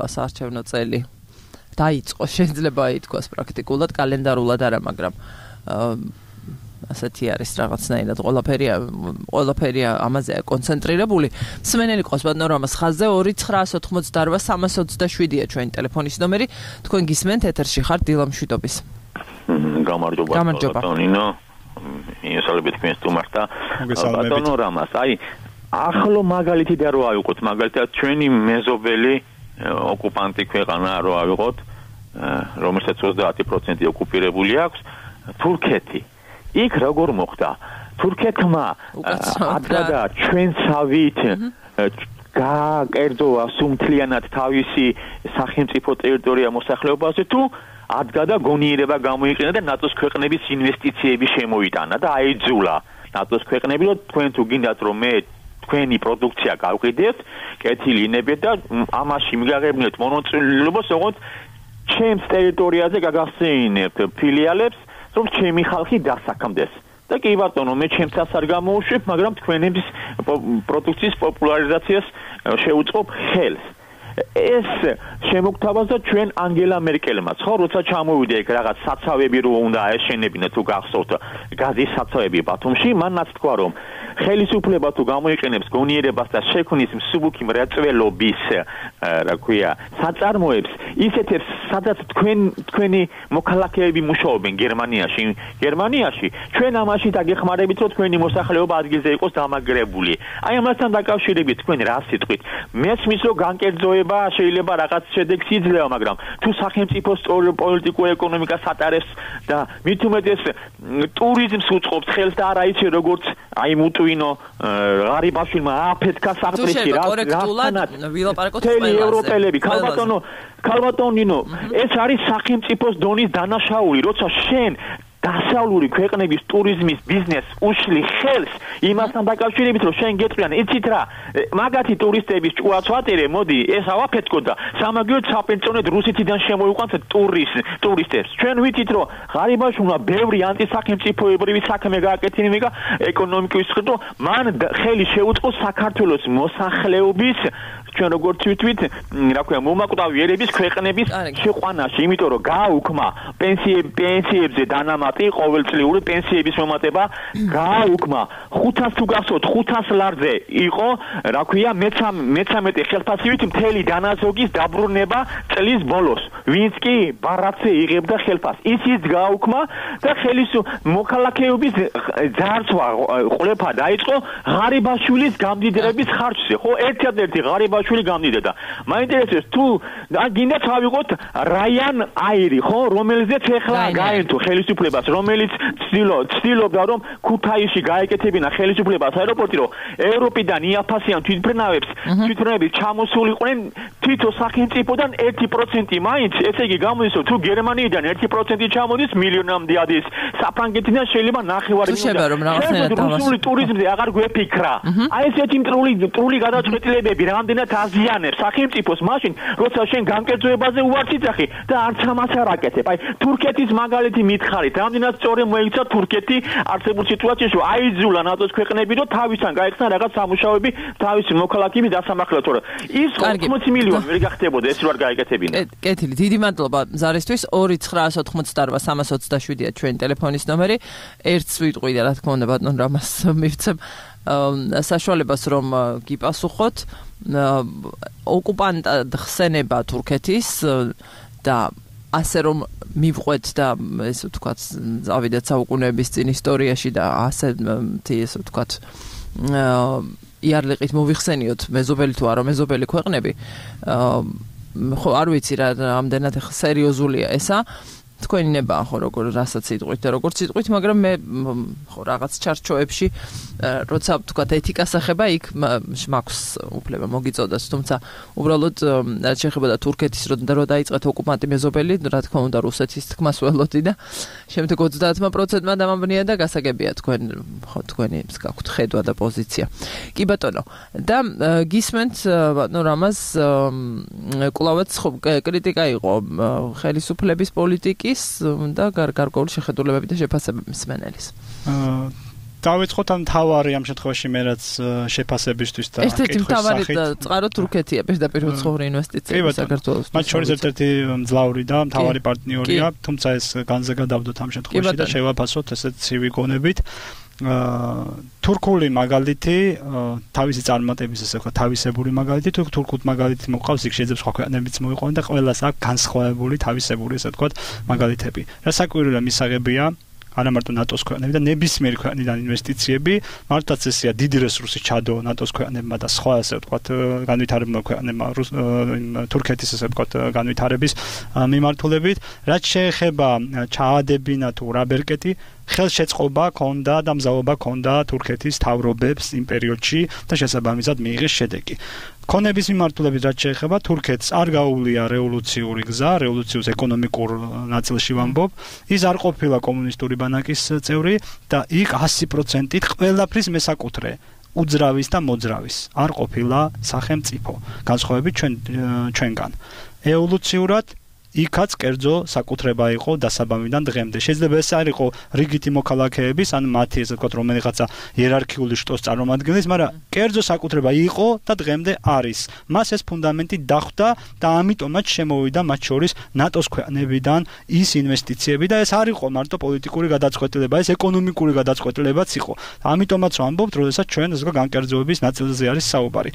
საარჩევნო წელი დაიწყო, შეიძლება ითქვას პრაქტიკულად, კალენდარულად არა, მაგრამ ასეთი არის რაღაცნაირად ყველაფერი ყველაფერი ამაზეა კონცენტრირებული. მსმენელი ყავს ბატონო რამას ხაზზე ორი ცხრაას ოთხმოცდაოთხ სამას ოცდაშვიდია ჩვენი ტელეფონის ნომერი. თქვენ გისმენთ ეთერში ხართ დილა მშვიდობის. გამარჯობა ბატონინო. მისალებით თქვენ სტუმართა. ბატონო რამას, აი ახლო მაგალითი და რო ავიღოთ, მაგალითად ჩვენი მეზობელი ოკუპანტი ქვეყანა რო ავიღოთ, რომელსაც ოცდაათი პროცენტი ოკუპირებული აქვს, თურქეთი. იქ როგორ მოხდა? თურქეთმა აბსოლუტურად ჩვენსავით გააკერძოა სუმთლიანად თავისი სახელმწიფო ტერიტორია მოსახლეობაზე თუ ადგა და გონიერება გამოიყენა და ნატოს ქვეყნების ინვესტიციები შემოიტანა და აიძულა ნატოს ქვეყნები, რომ თქვენ თუ გინდათ რომ მე თქვენი პროდუქცია გავყიდებთ, კეთილი ინებეთ და ამაში მიგაღებინეთ მონაწილეობას, ოღონდ ჩემს ტერიტორიაზე გაგახსენებთ ფილიალებს, რომ ჩემი ხალხი დასაქმდეს. და კი ბატონო, მე ჩემსაც არ გამოუშვებ, მაგრამ თქვენების პროდუქციის პოპულარიზაციას შევუწყობ ხელს. ეს შემოგთავაზა ჩვენ ანგელა მერკელმაც, ხო, როცა ჩამოვიდა იქ რაღაც საცავები რო უნდა აეშენებინა თუ გახსოვთ გაზის საცავები ბათუმში, მანაც თქვა რომ ხელისუფლება თუ გამოიყენებს გონიერებას და შექმნის მსუბუქი მრეწველობის, რა ქვია, საწარმოებს, ისეთებს, სადაც თქვენ თქვენი მოქალაქეები მუშაობენ გერმანიაში, გერმანიაში ჩვენ ამაში დაგეხმარებით, რომ თქვენი მოსახლეობა ადგილზე იყოს დამაგრებული. აი ამასთან დაკავშირებით თქვენ რა სიტყვით? მესმის რომ განკერძოება შეიძლება რაღაც შედეგს იძლევა, მაგრამ თუ სახელმწიფოს პოლიტიკურ ეკონომიკას ატარებს და მით უმეტეს ტურიზმს უწყობს ხელს და არ აიცი როგორც აი მუტვინო ღარიბაშვილმა აფეთქა საფრთხეში რა კორექტულად ვილაპარაკოთ ყველას ევროპელები ქალბატონო ქალბატონინო ეს არის სახელმწიფოს დონის დანაშაული, როცა შენ დასავლური ქვეყნების ტურიზმის ბიზნესს უშლი ხელს იმასთან დაკავშირებით, რომ შენ გეტყვიან, იცით რა, მაგათი ტურისტების ჭუაც ვატერე, მოდი, ეს ავაფეთქო და სამაგიეროდ საპენსიონოდ რუსეთიდან შემოიყვანთ ტურისტ ტურისტებს. ჩვენ ვიცით, რომ ღარიბაშვილმა ბევრი ანტისახელმწიფოებრივი საქმე გააკეთებინა ეკონომიკის ხდო, მან ხელი შეუწყო საქართველოს მოსახლეობის ჩვენ როგორც ვიტყვით, რა ქვია, მომაკვდავი ერების ქვეყნების შეყვანაში, იმიტომ რომ გააუქმა პენსიები პენსიებზე დანამატი, ყოველწლიური პენსიების მომატება გააუქმა. ხუთას თუ გახსოვთ, ხუთას ლარზე იყო, რა ქვია, მეცამეტე ხელფასივით მთელი დანაზოგის დაბრუნება წლის ბოლოს. ვინც კი ბარათზე იღებდა ხელფასს, ისიც გააუქმა და ხელის მოქალაქეობის ძარცვა ყლეფა დაიწყო ღარიბაშვილის გამდიდრების ხარჯზე, ხო, ერთადერთი ღარიბაშვილი შვილი გამდიდოდა. მაინტერესებს თუ გინდა ავიღოთ რაიან აირი, ხო, რომელზეც ეხლა გაერთო ხელისუფლებას, რომელიც ცდილობდა რომ ქუთაისში გაეკეთებინა ხელისუფლებას აეროპორტი, რომ ევროპიდან იაფასიან თვითმფრინავებს, თვითმფრინავები ჩამოსულიყვნენ თვითონ სახელმწიფოდან ერთი პროცენტი მაინც, ესე იგი გამოდისო თუ გერმანიიდან ერთი პროცენტი ჩამოდის, მილიონამდე ადის, საფრანგეთიდან შეიძლება ნახევარი მილიონი. რუსული ტურიზმზე აღარ გვეფიქრა. აი ესეთი მტრული მტრული გადაწყვეტილებები რამდენად აზიანებს სახელმწიფოს მაშინ, როცა შენ განკერძოებაზე უარს იძახი და არც ამას არ აკეთებ. აი თურქეთის მაგალითი მითხარით, რამდენად სწორი მოიქცა თურქეთი არსებულ სიტუაციაში, რომ აიძულა ნატოს ქვეყნები, რომ თავისთან გაეხსნა რაღაც სამუშაოები თავისი მოქალაქეების დასამახლებლად, თორე ის ოცდაოთხ მილიონი ვერ გახდებოდა ეს რო არ გაეკეთებინა. კეთილი, დიდი მადლობა ზარისთვის. ორი ცხრაას ოთხმოცდაოთხ სამას ოცდაშვიდია ჩვენი ტელეფონის ნომერი. ერთს ვიტყვი და რა თქმა უნდა ბატონ რამას მივცემ საშუალებას რომ გიპასუხოთ. ოკუპანტად ხსენება თურქეთის და ასე რომ მივყვეთ და ესე ვთქვათ, წავიდეთ საუკუნეების წინ ისტორიაში და ასე ესე ვთქვათ, იარლიყით მოვიხსენიოთ მეზობელი თუ არა მეზობელი ქვეყნები. ხო არ ვიცი რა ამდენად ახლა სერიოზულია ესა თქვენი ნება ხო როგორ რასაც იტყვით და როგორც იტყვით მაგრამ მე ხო რაღაც ჩარჩოებში როცა თქვათ ეთიკას ახება იქ მაქვს უფლება მოგიწოდოს თუმცა უბრალოდ რაც შეეხება თურქეთის რო დაიწყეთ ოკუპანტი მეზობელი რა თქმა უნდა რუსეთის თქმას ველოდი და შემდეგ ოცდაათმა პროცენტმა დამაბნია და გასაგებია თქვენ ხო თქვენი გაქვთ ხედვა და პოზიცია კი ბატონო და გისმენთ ნუ რამას კლავაც ხო კრიტიკა იყო ხელისუფლების პოლიტიკის და გარკვეული შეხედულებები და შეფასებები მსმენელის. დავიწყოთ ამ თავარი ამ შემთხვევაში მე რაც შეფასებისთვის და ერთ-ერთი თავარი წყარო თურქეთია პირდაპირ უცხოური ინვესტიციები საქართველოს. მათ შორის ერთ-ერთი მძლავრი და მთავარი პარტნიორია, თუმცა ეს განზე გადავდოთ ამ შემთხვევაში და შევაფასოთ ესეთ ცივი გონებით. თურქული მაგალითი თავისი წარმატების ესე ვთქვა თავისებური მაგალითი თუ თურქულ მაგალითი მოყავს იქ შეიძლება სხვა ქვეყნებიც მოიყვანონ და ყველას აქვს განსხვავებული თავისებური ესე ვთქვა მაგალითები. რა საკვირველია მისაღებია არა მარტო ნატოს ქვეყნები და ნებისმიერი ქვეყნიდან ინვესტიციები მართლაც ესეა დიდი რესურსი ჩადო ნატოს ქვეყნებმა და სხვა ასე ვთქვათ განვითარებულ ქვეყნებმა თურქეთის ასე ვთქვათ განვითარების მიმართულებით რაც შეეხება ჩაადებინა თუ რა ბერკეტი ხელშეწყობა ქონდა და მზაობა ქონდა თურქეთის თავრობებს იმ პერიოდში და შესაბამისად მიიღეს შედეგი. ქონების მიმართულებით რაც შეეხება თურქეთს არ გაუვლია რევოლუციური გზა, რევოლუციურ ეკონომიკურ ნაწილში ვამბობ, ის არ ყოფილა კომუნისტური ბანაკის წევრი და იქ ასი პროცენტით ყველაფრის მესაკუთრე უძრავის და მოძრავის არ ყოფილა სახელმწიფო. განსხვავებით ჩვენ ჩვენგან. ევოლუციურად იქაც კერძო საკუთრება იყო დასაბამიდან დღემდე. შეიძლება ეს არ იყო რიგითი მოქალაქეების, ან მათი ესე ვთქვათ, რომელიღაცა იერარქიული შტოს წარმომადგენლის, მაგრამ კერძო საკუთრება იყო და დღემდე არის. მას ეს ფუნდამენტი დახვდა და ამიტომაც შემოვიდა მათ შორის ნატოს ქვეყნებიდან ის ინვესტიციები და ეს არ იყო მარტო პოლიტიკური გადაწყვეტილება, ეს ეკონომიკური გადაწყვეტილებაც იყო. ამიტომაც ვამბობთ, როდესაც ჩვენ ეს განკერძოების ნაწილზე არის საუბარი.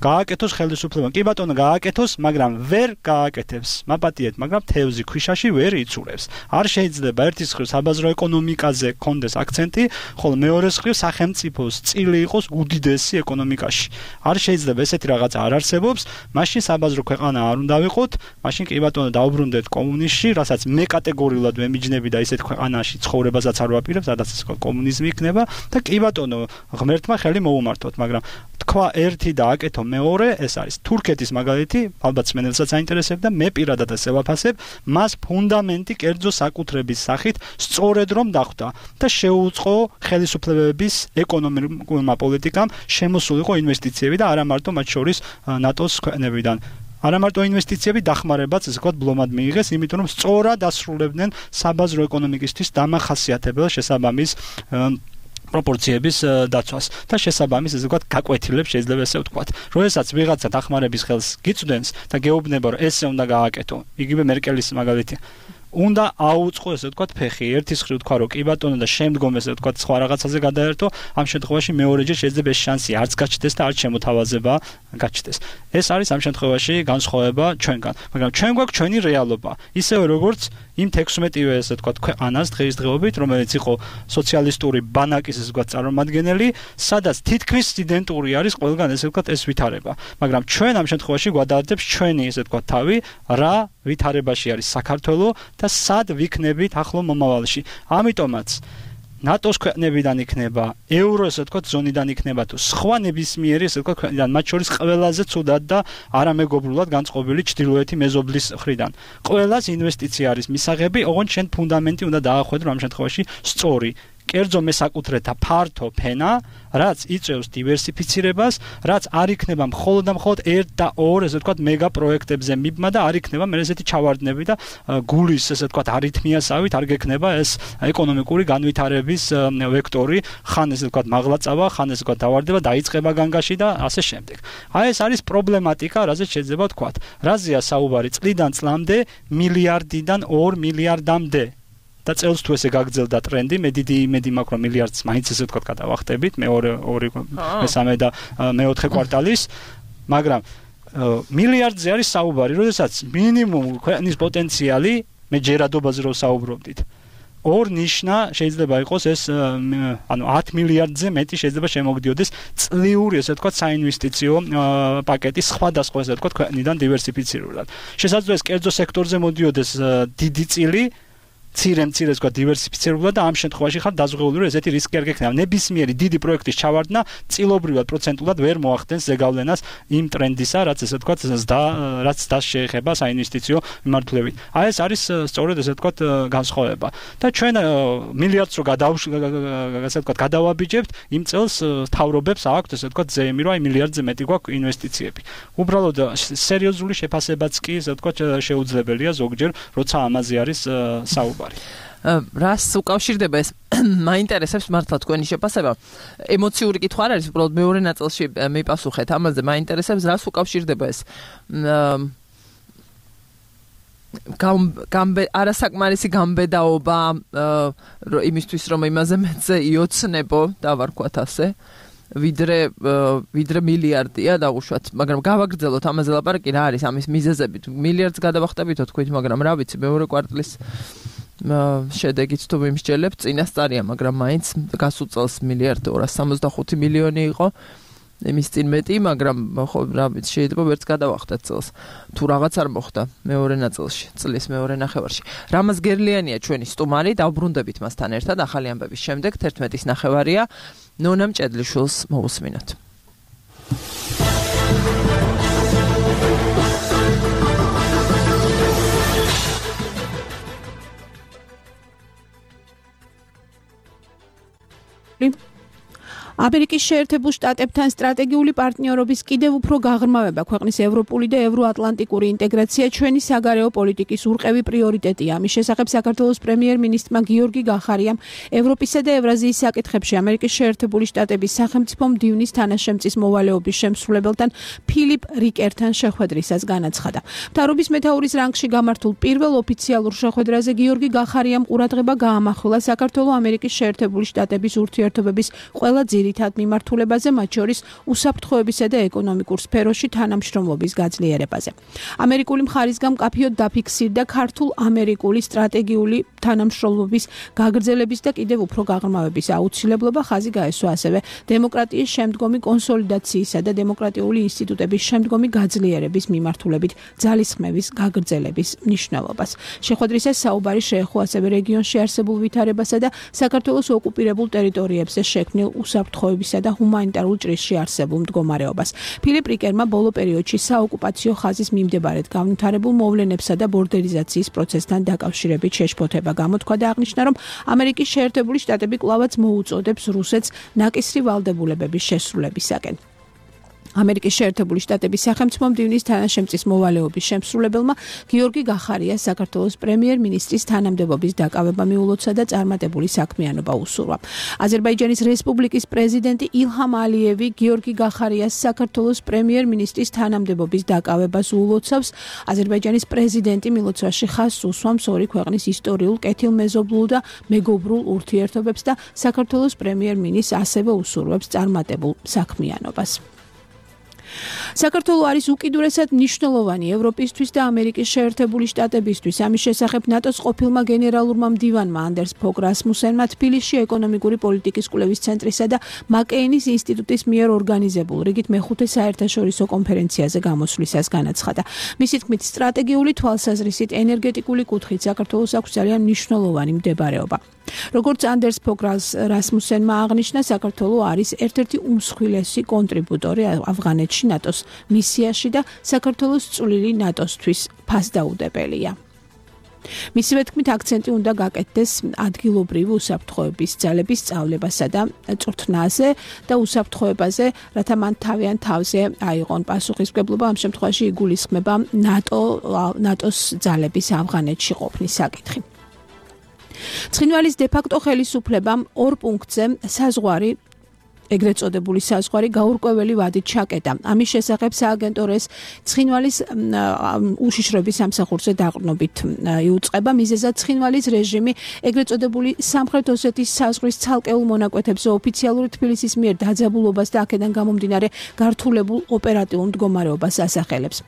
გააკეთოს ხელისუფლება. კი ბატონო, გააკეთოს, მაგრამ ვერ გააკეთებს. მაპატიეთ, მაგრამ თევზი ქვიშაში ვერ იცურებს. არ შეიძლება ერთის მხრივ საბაზრო ეკონომიკაზე კონდეს აქცენტი, ხოლო მეორეს მხრივ სახელმწიფოს წილი იყოს უდიდესი ეკონომიკაში. არ შეიძლება ესეთი რაღაცა არ არსებობს, მაშინ საბაზრო ქვეყანა არ უნდა ვიყოთ, მაშინ კი ბატონო დაუბრუნდეთ კომუნიზმში, რასაც მე კატეგორიულად ვემიჯნები და ისეთ ქვეყანაში ცხოვრებასაც არ ვაპირებ, სადაც კომუნიზმი იქნება და კი ბატონო ღმერთმა ხელი მოუმართოთ, მაგრამ თქვა ერთი და აკეთო მეორე, ეს არის თურქეთის მაგალითი, ალბათ მენელსაც აინტერესებდა, მე პირადად ასე ვაფასებ, მას ფუნდამენტი კერძო საკუთრების სახით სწორედ რომ დახვდა და შეუწყო ხელისუფლებების ეკონომიკურმა პოლიტიკამ შემოსულიყო ინვესტიციები და არა მარტო მათ შორის ნატოს ქვეყნებიდან. არა მარტო ინვესტიციები დახმარებაც ესე ვთქვათ ბლომად მიიღეს, იმიტომ რომ სწორად ასრულებდნენ საბაზრო ეკონომიკისთვის დამახასიათებელ შესაბამის პროპორციების დაცვას და შესაბამის ესე ვთქვათ გაკვეთილებს შეიძლება ესე ვთქვათ. როდესაც ვიღაცა დახმარების ხელს გიწვდენს და გეუბნება რომ ესე უნდა გააკეთო, იგივე მერკელის მაგალითი. უნდა აუწყო ესე ვთქვათ ფეხი. ერთის მხრივ თქვა რომ კი ბატონო და შემდგომ ესე ვთქვათ სხვა რაღაცაზე გადაერთო, ამ შემთხვევაში მეორეჯერ შეიძლება ეს შანსი არც გაჩნდეს და არც შემოთავაზება გაჩნდეს. ეს არის ამ შემთხვევაში განსხვავება ჩვენგან, მაგრამ ჩვენ გვაქვს ჩვენი რეალობა. ისევე როგორც იმ თექვსმეტივე ესე ვთქვათ ქვეყანას დღეისდღეობით, რომელიც იყო სოციალისტური ბანაკის ესე ვთქვათ წარმომადგენელი, სადაც თითქმის იდენტური არის ყველგან ესე ვთქვათ ეს ვითარება. მაგრამ ჩვენ ამ შემთხვევაში გვადაარდებს ჩვენი ესე ვთქვათ თავი, რა ვითარებაში არის საქართველოს და სად ვიქნებით ახლო მომავალში. ამიტომაც ნატოს ქვეყნებიდან იქნება, ევრო ესე ვთქვათ ზონიდან იქნება თუ სხვა ნებისმიერი ესე ვთქვათ ქვეყნიდან, მათ შორის ყველაზე ცუდად და არამეგობრულად განწყობილი ჩრდილოეთი მეზობლის მხრიდან. ყველას ინვესტიცია არის მისაღები, ოღონდ შენ ფუნდამენტი უნდა დაახვედრო ამ შემთხვევაში სწორი. კერძო მესაკუთრეთა ფართო ფენა, რაც იწევს დივერსიფიცირებას, რაც არ იქნება მხოლოდ და მხოლოდ ერთ და ორ ესე ვთქვათ მეგა პროექტებზე მიბმა და არ იქნება მე ესეთი ჩავარდნები და გულის ესე ვთქვათ არითმიასავით არ გექნება ეს ეკონომიკური განვითარების ვექტორი, ხან ესე ვთქვათ მაღლაწავა, ხან ესე ვთქვათ დავარდება, დაიწყება განგაში და ასე შემდეგ. აი ეს არის პრობლემატიკა, რაზეც შეიძლება ვთქვათ. რაზეა საუბარი წლიდან წლამდე მილიარდიდან ორ მილიარდამდე. და წელს თუ ესე გაგრძელდა ტრენდი, მე დიდი იმედი მაქვს რომ მილიარდს მაინც ესე ვთქვათ გადავახტებით, მეორე ორი მესამე და მეოთხე კვარტალის, მაგრამ მილიარდზე არის საუბარი, როდესაც მინიმუმ ქვეყნის პოტენციალი, მე ჯერადობაზე რომ საუბრობდით, ორ ნიშნა შეიძლება იყოს ეს ანუ ათ მილიარდზე მეტი შეიძლება შემოგდიოდეს წლიური ესე ვთქვათ საინვესტიციო პაკეტი სხვადასხვა ესე ვთქვათ ქვეყნიდან დივერსიფიცირებულად. შესაძლოა ეს კერძო სექტორზე მოდიოდეს დიდი წილი ცირე-მცირე თქვა დივერსიფიცირებულად და ამ შემთხვევაში ხარ დაზღვეული რომ ესეთი რისკი არ გექნება. ნებისმიერი დიდი პროექტის ჩავარდნა წილობრივად პროცენტულად ვერ მოახდენს ზეგავლენას იმ ტრენდისა, რაც ესე ვთქვათ ზდა რაც ზდას შეეხება საინვესტიციო მიმართულებით. აი ეს არის სწორედ ესე ვთქვათ განსხვავება. და ჩვენ მილიარდს რო ესე ვთქვათ გადავაბიჯებთ, იმ წელს თავრობებს აქვთ ესე ვთქვათ ზეიმი რომ აი მილიარდზე მეტი გვაქვს ინვესტიციები. უბრალოდ სერიოზული შეფასებაც კი ესე ვთქვათ შეუძლებელია ზოგჯერ, როცა ამაზე არის საუბარი. რას უკავშირდება ეს მაინტერესებს მართლა თქვენი შეფასება. ემოციური კითხვა არ არის, უბრალოდ მეორე ნაწილში მიპასუხეთ ამაზე. მაინტერესებს რას უკავშირდება ეს გამბე არასაკმარისი გამბედაობა იმისთვის რომ იმაზე მეცე იოცნებო და ვარქვათ ასე ვიდრე ვიდრე მილიარდია დაუშვათ, მაგრამ გავაგრძელოთ ამაზე ლაპარაკი რა არის ამის მიზეზები. მილიარდს გადავახტებითო თქვით, მაგრამ რა ვიცი, მეორე კვარტლის შედეგით თუ მიმსჯელებთ, წინასწარია, მაგრამ მაინც გასულ წელს მილიარდი ორას სამოცდახუთი მილიონი იყო. იმის წინ მეტი, მაგრამ ხო რა ვიცი, შეიძლება ვერც გადავახტეთ წელს. თუ რაღაც არ მოხდა მეორე ნაწილში, წლის მეორე ნახევარში. რამაზ გერლიანია ჩვენი სტუმარი, დავბრუნდებით მასთან ერთად ახალი ამბების შემდეგ, თერთმეტის ნახევარია. ნონა მჭედლიშვილს მოусმინოთ. ამერიკის შეერთებულ შტატებთან სტრატეგიული პარტნიორობის კიდევ უფრო გაღრმავება ქვეყნის ევროპული და ევროატლანტიკური ინტეგრაცია ჩვენი საგარეო პოლიტიკის ურყევი პრიორიტეტია. ამის შესახებ საქართველოს პრემიერ-მინისტრმა გიორგი გახარიამ ევროპისა და ევრაზიის საკითხებში ამერიკის შეერთებული შტატების სახელმწიფო მდივნის თანაშემწის მოვალეობის შემსრულებელთან ფილიპ რიკერთან შეხვედრისას განაცხადა. მთავრობის მეთაურის რანგში გამართულ პირველ ოფიციალურ შეხვედრაზე გიორგი გახარიამ ყურადღება გაამახვილა საქართველო-ამერიკის შეერთებული შტატების ურთიერთობების ყველა ძირითად მიმართულებაზე, მათ შორის უსაფრთხოებისა და ეკონომიკურ სფეროში თანამშრომლობის გაძლიერებაზე. ამერიკული მხარისგან მკაფიოდ დაფიქსირდა ქართულ-ამერიკული სტრატეგიული თანამშრომლობის გაგრძელების და კიდევ უფრო გაღრმავების აუცილებლობა, ხაზი გაესვა ასევე დემოკრატიის შემდგომი კონსოლიდაციისა და დემოკრატიული ინსტიტუტების შემდგომი გაძლიერების მიმართულებით ძალისხმევის გაგრძელების მნიშვნელობას. შეხვედრისას საუბარი შეეხო ასევე რეგიონში არსებულ ვითარებასა და საქართველოს ოკუპირებულ ტერიტორიებზე შექმნილ უსაფრთხოებისა და ჰუმანიტარულ ჭრილში არსებულ მდგომარეობას. ფილიპ რიკერმა ბოლო პერიოდში საოკუპაციო ხაზის მიმდებარედ განვითარებულ მოვლენებსა და ბორდერიზაციის პროცესთან დაკავშირებით შეშფოთება გამოთქვა და აღნიშნა, რომ ამერიკის შეერთებული შტატები კვლავაც მოუწოდებს რუსეთს ნაკისრი ვალდებულებების შესრულებისაკენ. ამერიკის შეერთებული შტატების სახელმწიფო მდივნის თანაშემწის მოვალეობის შემსრულებელმა გიორგი გახარია საქართველოს პრემიერ-მინისტრის თანამდებობის დაკავება მიულოცა და წარმატებული საქმიანობა უსურვა. აზერბაიჯანის რესპუბლიკის პრეზიდენტი ილჰამ ალიევი გიორგი გახარიას საქართველოს პრემიერ-მინისტრის თანამდებობის დაკავებას უულოცავს. აზერბაიჯანის პრეზიდენტი მილოცვაში ხაზს უსვამს ორი ქვეყნის ისტორიულ, კეთილმეზობლულ და მეგობრულ ურთიერთობებს და საქართველოს პრემიერ-მინისტრს ასევე უსურვებს წარმატებულ საქმიანობას. საქართველო არის უკიდურესად მნიშვნელოვანი ევროპისთვის და ამერიკის შეერთებული შტატებისთვის. ამის შესახებ ნატოს ყოფილმა გენერალურმა მდივანმა ანდერს ფოგ რასმუსენმა თბილისში ეკონომიკური პოლიტიკის კვლევის ცენტრისა და მაკეინის ინსტიტუტის მიერ ორგანიზებულ რიგით მეხუთე საერთაშორისო კონფერენციაზე გამოსვლისას განაცხადა. მისი თქმით, სტრატეგიული თვალსაზრისით ენერგეტიკული კუთხით საქართველოს აქვს ძალიან მნიშვნელოვანი მდებარეობა. როგორც ანდერს ფოგ რასმუსენმა აღნიშნა, საქართველო არის ერთ-ერთი უმსხვილესი კონტრიბუტორი ავღანეთში ნატოს მისიაში და საქართველოს წვლილი ნატოსთვის ფასდაუდებელია. მისივე თქმით, აქცენტი უნდა გაკეთდეს ადგილობრივი უსაფრთხოების ძალების სწავლებასა და წვრთნაზე და უსაფრთხოებაზე, რათა მან თავიანთ თავზე აიღონ პასუხისმგებლობა. ამ შემთხვევაში იგულისხმება ნატო ნატოს ძალების ავღანეთში ყოფნის საკითხი. ცხინვალის დე-ფაქტო ხელისუფლებამ ორ პუნქტზე საზღვარი ეგრეთ წოდებული საზღვარი გაურკვეველი ვადით ჩაკეტა. ამის შესახებ სააგენტოს ცხინვალის უშიშროების სამსახურზე დაყრდნობით იუწყება. მიზეზად ცხინვალის რეჟიმი ეგრეთ წოდებული სამხრეთ ოსეთის საზღვრის ცალკეულ მონაკვეთებზე ოფიციალური თბილისის მიერ დაძაბულობას და აქედან გამომდინარე გართულებულ ოპერატიულ მდგომარეობას ასახელებს.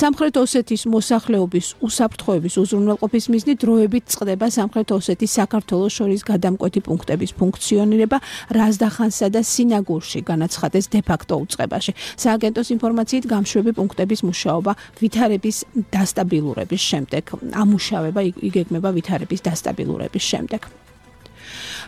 სამხრეთ ოსეთის მოსახლეობის უსაფრთხოების უზრუნველყოფის მიზნით დროებით წყდება სამხრეთ ოსეთის საქართველოს შორის გადამკვეთი პუნქტების ფუნქციონირება რაზდახანსა და სინაგურში განაცხადეს დე-ფაქტო უწყებაში. სააგენტოს ინფორმაციით გამშვები პუნქტების მუშაობა ვითარების დასტაბილურების შემდეგ ამუშავება იგეგმება ვითარების დასტაბილურების შემდეგ.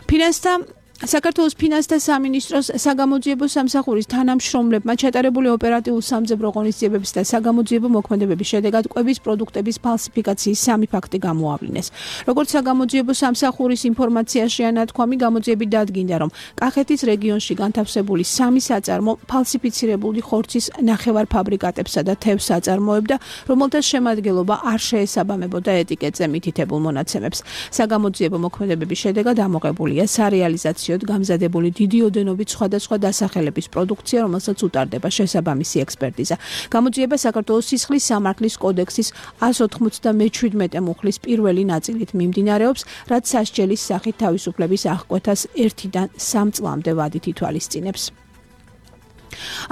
ფინანსთა საქართველოს ფინანსთა სამინისტროს საგამოძიებო სამსახურის თანამშრომლებმა ჩატარებული ოპერატიულ სამძებრო ღონისძიებების და საგამოძიებო მოქმედებების შედეგად კვების პროდუქტების ფალსიფიკაციის სამი ფაქტი გამოავლინეს. როგორც საგამოძიებო სამსახურის ინფორმაციაში ანათქვამი, გამოძიებით დადგინდა, რომ კახეთის რეგიონში განთავსებული სამი საწარმო ფალსიფიცირებული ხორცის ნახევარფაბრიკატებსა და თევზს აწარმოებდა, რომელთა შემადგენლობა არ შეესაბამებოდა ეტიკეტზე მითითებულ მონაცემებს. საგამოძიებო მოქმედებების შედეგად ამოღებულია სარეალიზაციო გამზადებული დიდი ოდენობით სხვადასხვა დასახელების პროდუქცია, რომელსაც უტარდება შესაბამისი ექსპერტიზა. გამოძიება საქართველოს სისხლის სამართლის კოდექსის ას ოთხმოცდამეჩვიდმეტე მუხლის პირველი ნაწილით მიმდინარეობს, რაც სასჯელის სახით თავისუფლების აღკვეთას ერთიდან სამ წლამდე ვადით ითვალისწინებს.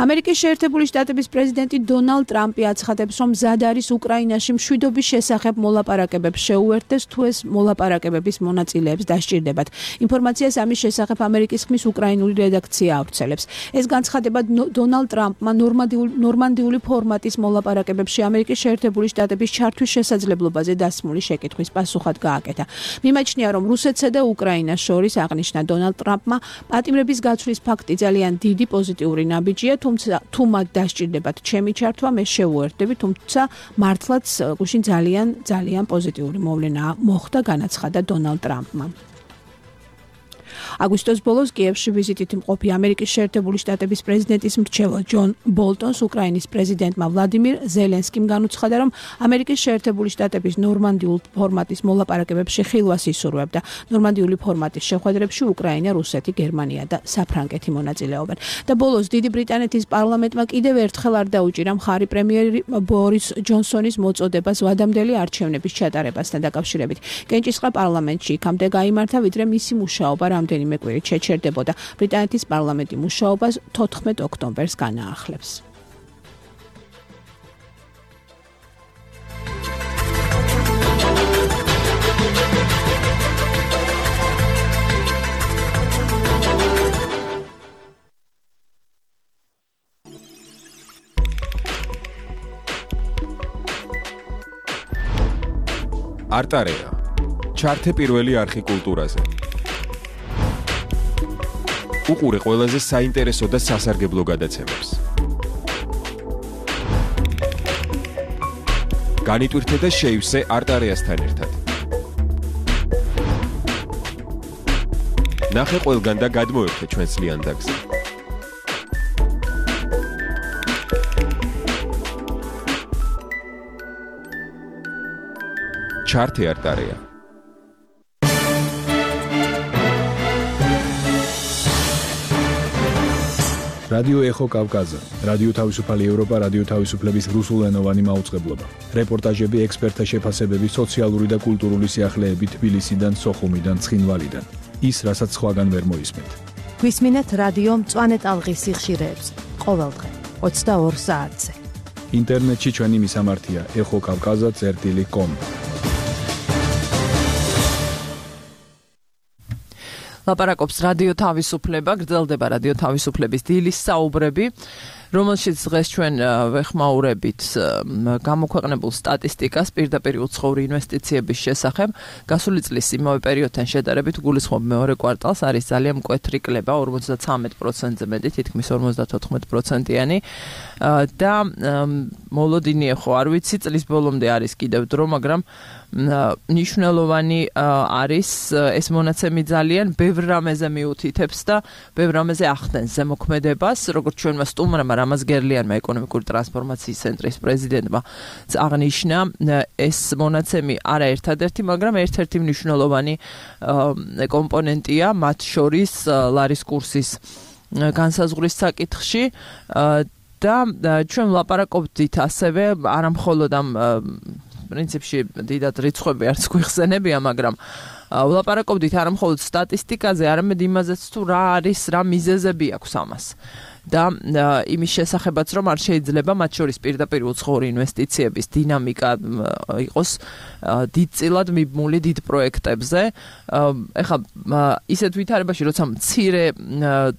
ამერიკის შეერთებული შტატების პრეზიდენტი დონალდ ტრამპი აცხადებს, რომ მზად არის უკრაინაში მშვიდობის შესახებ მოლაპარაკებებს შეუერთდეს, თუ ეს მოლაპარაკებების მონაწილეებს დასჭირდებათ. ინფორმაციას ამის შესახებ ამერიკის ხმის უკრაინული რედაქცია ავრცელებს. ეს განცხადება დონალდ ტრამპმა ნორმანდიული ფორმატის მოლაპარაკებებში ამერიკის შეერთებული შტატების ჩართვის შესაძლებლობაზე დასმული შეკითხვის პასუხად გააკეთა. მიმაჩნია, რომ რუსეთსა და უკრაინას შორის აღნიშნა დონალდ ტრამპმა პატიმრების გაცვლის ფაქტი ძალიან დიდი პოზიტიური ნაბიჯია, თუმცა თუ მათ დასჭირდებათ ჩემი ჩართვა, მე შევუერთდები, თუმცა მართლაც გუშინ ძალიან ძალიან პოზიტიური მოვლენა მოხდა, განაცხადა დონალდ ტრამპმა. აგვისტოს ბოლოს კიევში ვიზიტით მყოფი ამერიკის შეერთებული შტატების პრეზიდენტის მრჩეველ ჯონ ბოლტონს უკრაინის პრეზიდენტმა ვლადიმირ ზელენსკიმ განუცხადა, რომ ამერიკის შეერთებული შტატების ნორმანდიულ ფორმატის მოლაპარაკებებში ხილვას ისურვებდა. ნორმანდიული ფორმატის შეხვედრებში უკრაინა, რუსეთი, გერმანია და საფრანგეთი მონაწილეობენ. და ბოლოს დიდი ბრიტანეთის პარლამენტმა კიდევ ერთხელ არ დაუჭირა მხარი პრემიერი ბორის ჯონსონის მოწოდებას ვადამდელი არჩევნების ჩატარებასთან დაკავშირებით. კენჭისყრა პარლამენტში იქამდე გაიმართა, ვიდრე მისი მუშაობა რამდენიმე კვირით შეჩერდებოდა. ბრიტანეთის პარლამენტი მუშაობას თოთხმეტ ოქტომბერს განაახლებს. არტარეა. ჩართე პირველი არხი კულტურაზე. უყურე ყველაზე საინტერესო და სასარგებლო გადაცემებს. განიტვირთე და შეივსე არტარეასთან ერთად. ნახე ყველგან და გადმოერთე ჩვენს ლიანდაგზე. ჩართე არტარეა. რადიო ეხო კავკაზა, რადიო თავისუფალი ევროპა, რადიო თავისუფლების რუსულენოვანი მაუწყებლობა. რეპორტაჟები, ექსპერტთა შეფასებები, სოციალური და კულტურული სიახლეები თბილისიდან, სოხუმიდან, ცხინვალიდან. ის, რასაც სხვაგან ვერ მოისმენთ. გვისმინეთ რადიო მწვანე ტალღის სიხშირეებს, ყოველდღე ოცდაორ საათზე. ინტერნეტში ჩვენი მისამართია ეხო კავკაზა წერტილი კომ. ლაპარაკობს რადიო თავისუფლება, გრძელდება რადიო თავისუფლების დილის საუბრები, რომელშიც დღეს ჩვენ ვეხმაურებით გამოქვეყნებულ სტატისტიკას პირდაპირ უცხოური ინვესტიციების შესახებ. გასული წლის იმავე პერიოდთან შედარებით გულისხმობ მეორე კვარტალს არის ძალიან მკვეთრი კლება, ორმოცდათვრამეტ პროცენტზე მეტი, თითქმის ორმოცდათოთხმეტ პროცენტიანი და მოლოდინი ხო არ ვიცი, წლის ბოლომდე არის კიდევ დრო, მაგრამ ნიშნულოვანი არის ეს მონაცემი ძალიან ბევრ რამეზე მიუთითებს და ბევრ რამეზე ახდენს ზემოქმედებას, როგორც ჩვენმა სტუმრმა რამაზ გერლიანმა ეკონომიკური ტრანსფორმაციის ცენტრის პრეზიდენტმა აღნიშნა, ეს მონაცემი არა ერთადერთი, მაგრამ ერთ-ერთი მნიშვნელოვანი კომპონენტია მათ შორის ლარის კურსის განსაზღვრის საკითხში და ჩვენ ვლაპარაკობდით ასევე არამხოლოდ ამ პრინციპში დიდად რიცხვები არც გვიხსენებია, მაგრამ ვლაპარაკობდით არამხოლოდ სტატისტიკაზე, არამედ იმაზეც თუ რა არის, რა მიზეზები აქვს ამას. და იმის შესახებაც რომ არ შეიძლება მათ შორის პირდაპირ უცხოური ინვესტიციების დინამიკა იყოს დიდწილად მიბმული დიდ პროექტებზე. ეხლა ისეთ ვითარებაში, როცა მცირე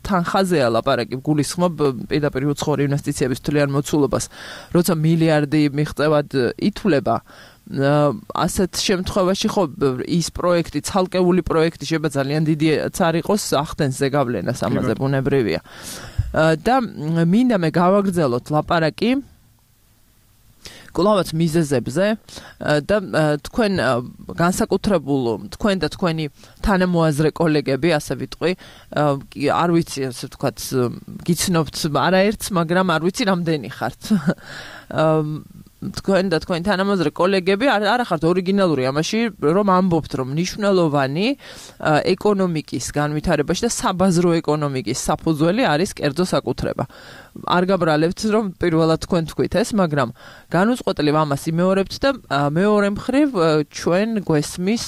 თანხაზეა ლაპარაკი, გულისხმობ პირდაპირ უცხოური ინვესტიციების თვლიან მოცულობას, როცა მილიარდი მიღწევად ითვლება, ასეთ შემთხვევაში ხო ის პროექტი, ცალკეული პროექტი შეიძლება ძალიან დიდიც არ იყოს, ახდენს ზეგავლენას, ამაზე ბუნებრივია. და მინდა მე გავაგრძელოთ ლაპარაკი კვლავაც მიზეზებზე და თქვენ განსაკუთრებულ თქვენ და თქვენი თანამოაზრე კოლეგები, ასე ვიტყვი, არ ვიცი, ასე ვთქვათ, გიცნობთ არაერთს, მაგრამ არ ვიცი რამდენი ხართ. თქვენ და თქვენი თანამოაზრე კოლეგები არ ხართ ორიგინალური ამაში, რომ ამბობთ, რომ მნიშვნელოვანი ეკონომიკის განვითარებაში და საბაზრო ეკონომიკის საფუძველი არის კერძო საკუთრება. არ გაბრალებთ, რომ პირველად თქვენ თქვით ეს, მაგრამ განუწყვეტლივ ამას იმეორებთ და მეორე მხრივ ჩვენ გვესმის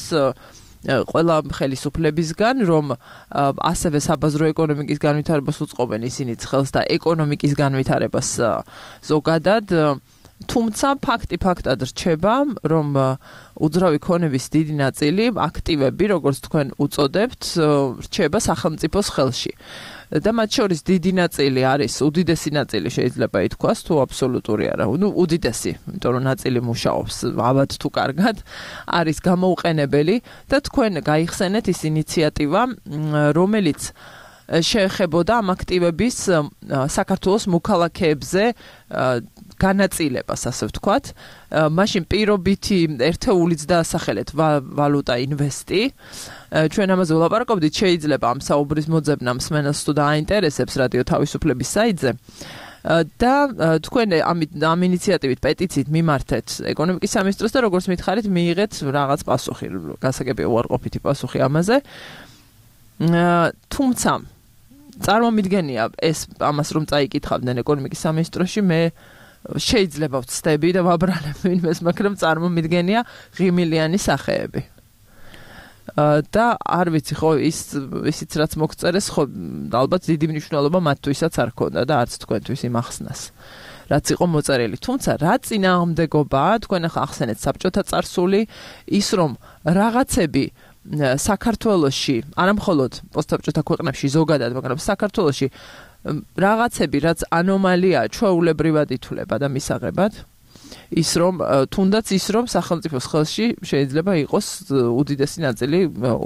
ყველა ხელისუფლებისგან, რომ ასევე საბაზრო ეკონომიკის განვითარებას უწყობენ ისინიც ხელს და ეკონომიკის განვითარებას ზოგადად. თუმცა ფაქტი ფაქტად რჩება, რომ უძრავი ქონების დიდი ნაწილი, აქტივები, როგორც თქვენ უწოდებთ, რჩება სახელმწიფოს ხელში. და მათ შორის დიდი ნაწილი არის, უდიდესი ნაწილი შეიძლება ითქვას, თუ აბსოლუტური არა, ну უდიდესი, იმიტომ რომ ნაწილი მუშაობს ალბათ თუ კარგად, არის გამოუყენებელი და თქვენ გაიხსენეთ ის ინიციატივა, რომელიც შეეხებოდა ამ აქტივების საქართველოს მოქალაქეებზე განაწილებას, ასე ვთქვათ. მაშინ პირობითი ერთეულიც დაასახელეთ ვალუტა ინვესტი. ჩვენ ამაზე ვლაპარაკობდით, შეიძლება ამ საუბრის მოძებნა მსმენელს თუ დააინტერესებს რადიო თავისუფლების საიტზე. და თქვენ ამ ინიციატივით პეტიციით მიმართეთ ეკონომიკის სამინისტროს და როგორც მითხარით, მიიღეთ რაღაც პასუხი, გასაგებია უარყოფითი პასუხი ამაზე. თუმცა წარმომიდგენია ეს ამას რომ წაიკითხავდნენ ეკონომიკის სამინისტროში, მე შეიძლება ვცდები და ვაბრალებ ვინმეს, მაგრამ წარმომიდგენია ღიმილიანი სახეები. და არ ვიცი, ხო, ის ისიც რაც მოგწერეს, ხო, ალბათ დიდი მნიშვნელობა მათთვისაც არ ქონდა და არც თქვენთვის იმახსნას. რაც იყო მოწერილი. თუმცა რა წინააღმდეგობაა, თქვენ ახლა ახსენეთ საბჭოთა წარსული, ის რომ რაღაცები საქართველოში, არამხოლოდ პოსტსაბჭოთა ქვეყნებში ზოგადად, მაგრამ საქართველოში რაღაცები, რაც ანომალიაა, ჩვეულებრივად ითვლება და მისაღებად, ის რომ თუნდაც ის რომ სახელმწიფოს ხელში შეიძლება იყოს უდიდესი ნაწილი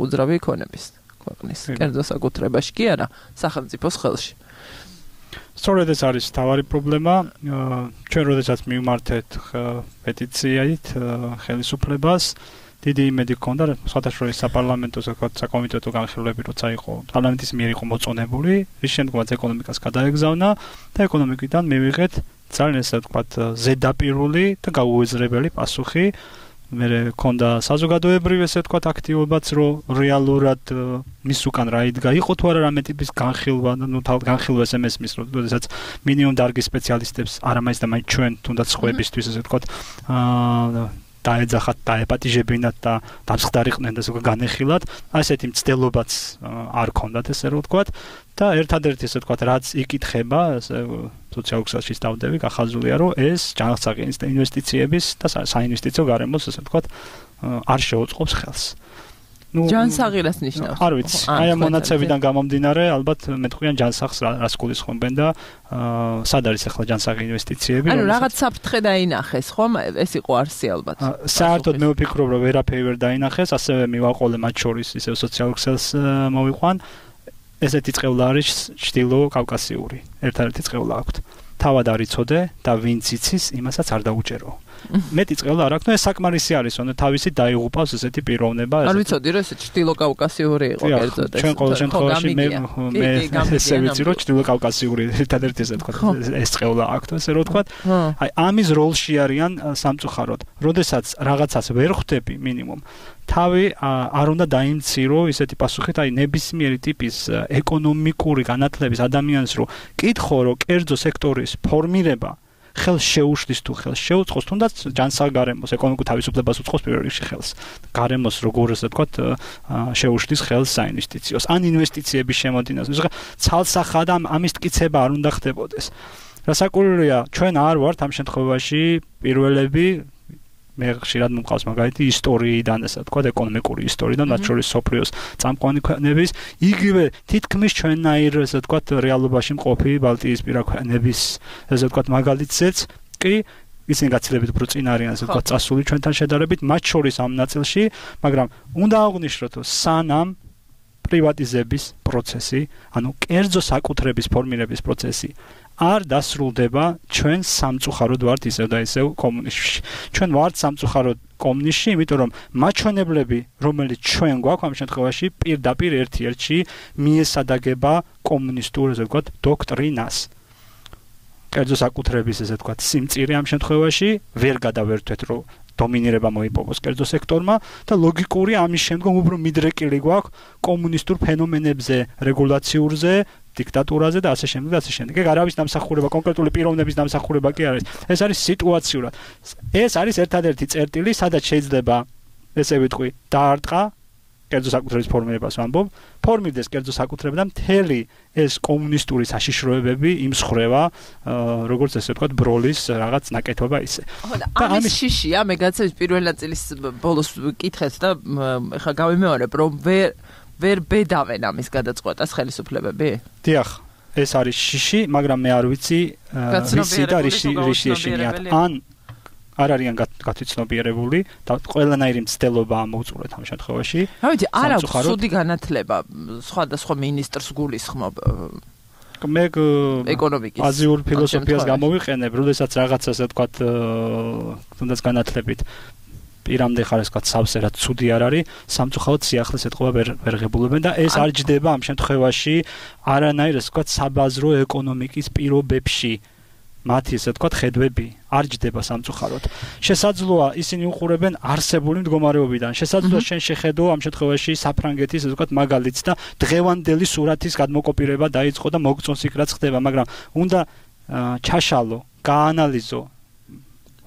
უძრავი ქონების ქვეყნის კერძო საკუთრებაში კი არა, სახელმწიფოს ხელში. სწორედ ეს არის თავარი პრობლემა. ჩვენ როდესაც მივმართეთ პეტიციით ხელისუფლებას, დიდი იმედი ჰქონდა, სხვათა შორის საპარლამენტო საკომიტეტო განხილვები, როცა იყო პარლამენტის მიერ იყო მოწონებული, რის შემდგომაც ეკონომიკას გადაეგზავნა და ეკონომიკიდან მივიღეთ ძალიან ესე ვთქვათ ზედაპირული და გაუეზრებელი პასუხი. მე მქონდა საზოგადოებრივი ესე ვთქვათ აქტივობაც, რომ რეალურად მის უკან რა იდგა, იყო თუ არა რამე ტიპის განხილვა, ნუ განხილვას ემესმის, როდესაც მინიმუმ დარგის სპეციალისტებს არა მაინც და მაინც ჩვენ თუნდაც სხვებისთვის ესე ვთქვათ აა დაეძახათ, დაეპატიჟებინათ და დამსხდარიყვნენ და ზოგადად განეხილათ, ასეთი მცდელობაც არ ქონდათ ესე რომ ვთქვათ და ერთადერთი ესე ვთქვათ რაც იკითხება, ესე სოციალურ ქსელში დავდები, გახაზულია რომ ეს ჯანმრთელი ინვესტიციების და საინვესტიციო გარემოს ესე ვთქვათ არ შეუწყობს ხელს. ნუ ჯანსაღირას ნიშნავს. არ ვიცი. აი ამ მონაცემიდან გამომდინარე, ალბათ მეტყვიან ჯანსაღს რას გულისხმობენ და სად არის ახლა ჯანსაღი ინვესტიციები? ანუ რაღაც საფრთხე დაინახეს, ხომ? ეს იყო არსი ალბათ. საერთოდ მე ვფიქრობ, რომ ვერაფერი ვერ დაინახეს, ასევე მივაყოლე მათ შორის ისევ სოციალურ ქსელს მოვიყვან. ესეთი წყევლა არის ჩრდილო კავკასიური. ერთადერთი წყევლა აქვთ. თავად არ იცოდე და ვინც იცის, იმასაც არ დაუჭერო. მეტი წყელა არ აქვს, ნუ ეს საკმარისი არის, ანუ თავისი დაიღუპავს ესეთი პიროვნება. არ ვიცოდი რომ ეს ჩრდილო კავკასიური იყო კერძოდ ეს. ჩვენ ყოველ შემთხვევაში მე მე ესე ვიცი რომ ჩრდილო კავკასიური ერთადერთი ესე თქვა ეს წყელა აქვს, ესე რომ თქვა. აი ამის როლში არიან სამწუხაროდ. როდესაც რაღაცას ვერ ხვდები მინიმუმ თავი არ უნდა დაიმცირო ისეთი პასუხით, აი ნებისმიერი ტიპის ეკონომიკური განათლების ადამიანს რო კითხო რომ კერძო სექტორის ფორმირება ხელს შეუშლის თუ ხელს შეუწყოს, თუნდაც ჯანსაღარემოს ეკონომიკურ თავისუფლებას უწყობს პირველ რიგში ხელს. გარემოს როგორ ასე ვთქვათ, შეუშლის ხელს საინვესტიციოს ან ინვესტიციების შემოდინებას. ისე ცალსახად ამ ამის მტკიცება არ უნდა ხდებოდეს. რასაკვირველია, ჩვენ არ ვართ ამ შემთხვევაში პირველები მე ხშირად მომყავს მაგალითი ისტორიიდან, ასე ვთქვათ, ეკონომიკური ისტორიიდან, მათ შორის სოფლიოს წამყვანი ქვეყნების, იგივე თითქმის ჩვენნაირ, ასე ვთქვათ, რეალობაში მყოფი ბალტიისპირა ქვეყნების, ასე ვთქვათ, მაგალითზეც კი ისინი გაცილებით უფრო წინ არიან, ასე ვთქვათ, წასული ჩვენთან შედარებით, მათ შორის ამ ნაწილში, მაგრამ უნდა აღვნიშნოთ, რომ სანამ პრივატიზების პროცესი, ანუ კერძო საკუთრების ფორმირების პროცესი არ დასრულდება, ჩვენ სამწუხაროდ ვართ ისევ და ისევ კომუნიზმში. ჩვენ ვართ სამწუხაროდ კომუნიზმში, იმიტომ რომ მაჩვენებლები, რომელიც ჩვენ გვაქვს ამ შემთხვევაში, პირდაპირ ერთ-ერთში მიესადაგება კომუნისტურ, ასე ვთქვათ, დოქტრინას. კერძო საკუთრების, ასე ვთქვათ, სიმწირე ამ შემთხვევაში ვერ გადავერთვეთ, რომ დომინირება მოიპოვოს კერძო სექტორმა და ლოგიკური ამის შემდგომ უფრო მიდრეკილი გვაქვს კომუნისტურ ფენომენებზე, რეგულაციურზე, დიქტატურაზე და ასე შემდეგ და ასე შემდეგ. ეგ არავის დამსახურება, კონკრეტული პიროვნების დამსახურება კი არის. ეს არის სიტუაციურად. ეს არის ერთადერთი წერტილი, სადაც შეიძლება ესე ვიტყვი, დაარტყა კერძო საკუთრების ფორმირებას ვამბობ, ფორმირდეს კერძო საკუთრება და მთელი ეს კომუნისტური საშიშროებები იმსხრევა, როგორც ესე ვთქვათ, ბროლის რაღაც ნაკეთობა ისე. და ამის შიშია, მე გაცემს პირველ ნაწილის ბოლოს კითხეთ და ეხლა გავიმეორებ, რომ ვერ ვერ ბედავენ ამის გადაწყვეტას ხელისუფლებები? დიახ, ეს არის შიში, მაგრამ მე არ ვიცი რისი და რისი რისი ეშინიათ. ან არ არიან გათვითცნობიერებული და ყველანაირი მცდელობაა მოუწურეთ ამ შემთხვევაში. რა ვიცი, არ აქვს სუდი განათლება სხვადასხვა მინისტრს გულისხმობ მე ეკონომიკის აზიურ ფილოსოფიას გამოვიყენებ, როდესაც რაღაცას ასე ვთქვათ, თუნდაც განათლებით პირამდე ხარ ესეთ სავსე რაც ცუდი არ არის, სამწუხაროდ სიახლეს ეთყობა ვერ ვერ ღებულებენ და ეს არ ჯდება ამ შემთხვევაში არანაირ ესე ვთქვათ საბაზრო ეკონომიკის პირობებში. მათი ესე ვთქვათ ხედვები არ ჯდება სამწუხაროდ. შესაძლოა ისინი უყურებენ არსებული მდგომარეობიდან. შესაძლოა შენ შეხედო ამ შემთხვევაში საფრანგეთის ესე ვთქვათ მაგალითს და დღევანდელი სურათის გადმოკოპირება დაიწყო და მოგწონს იქ რაც ხდება, მაგრამ უნდა ჩაშალო, გაანალიზო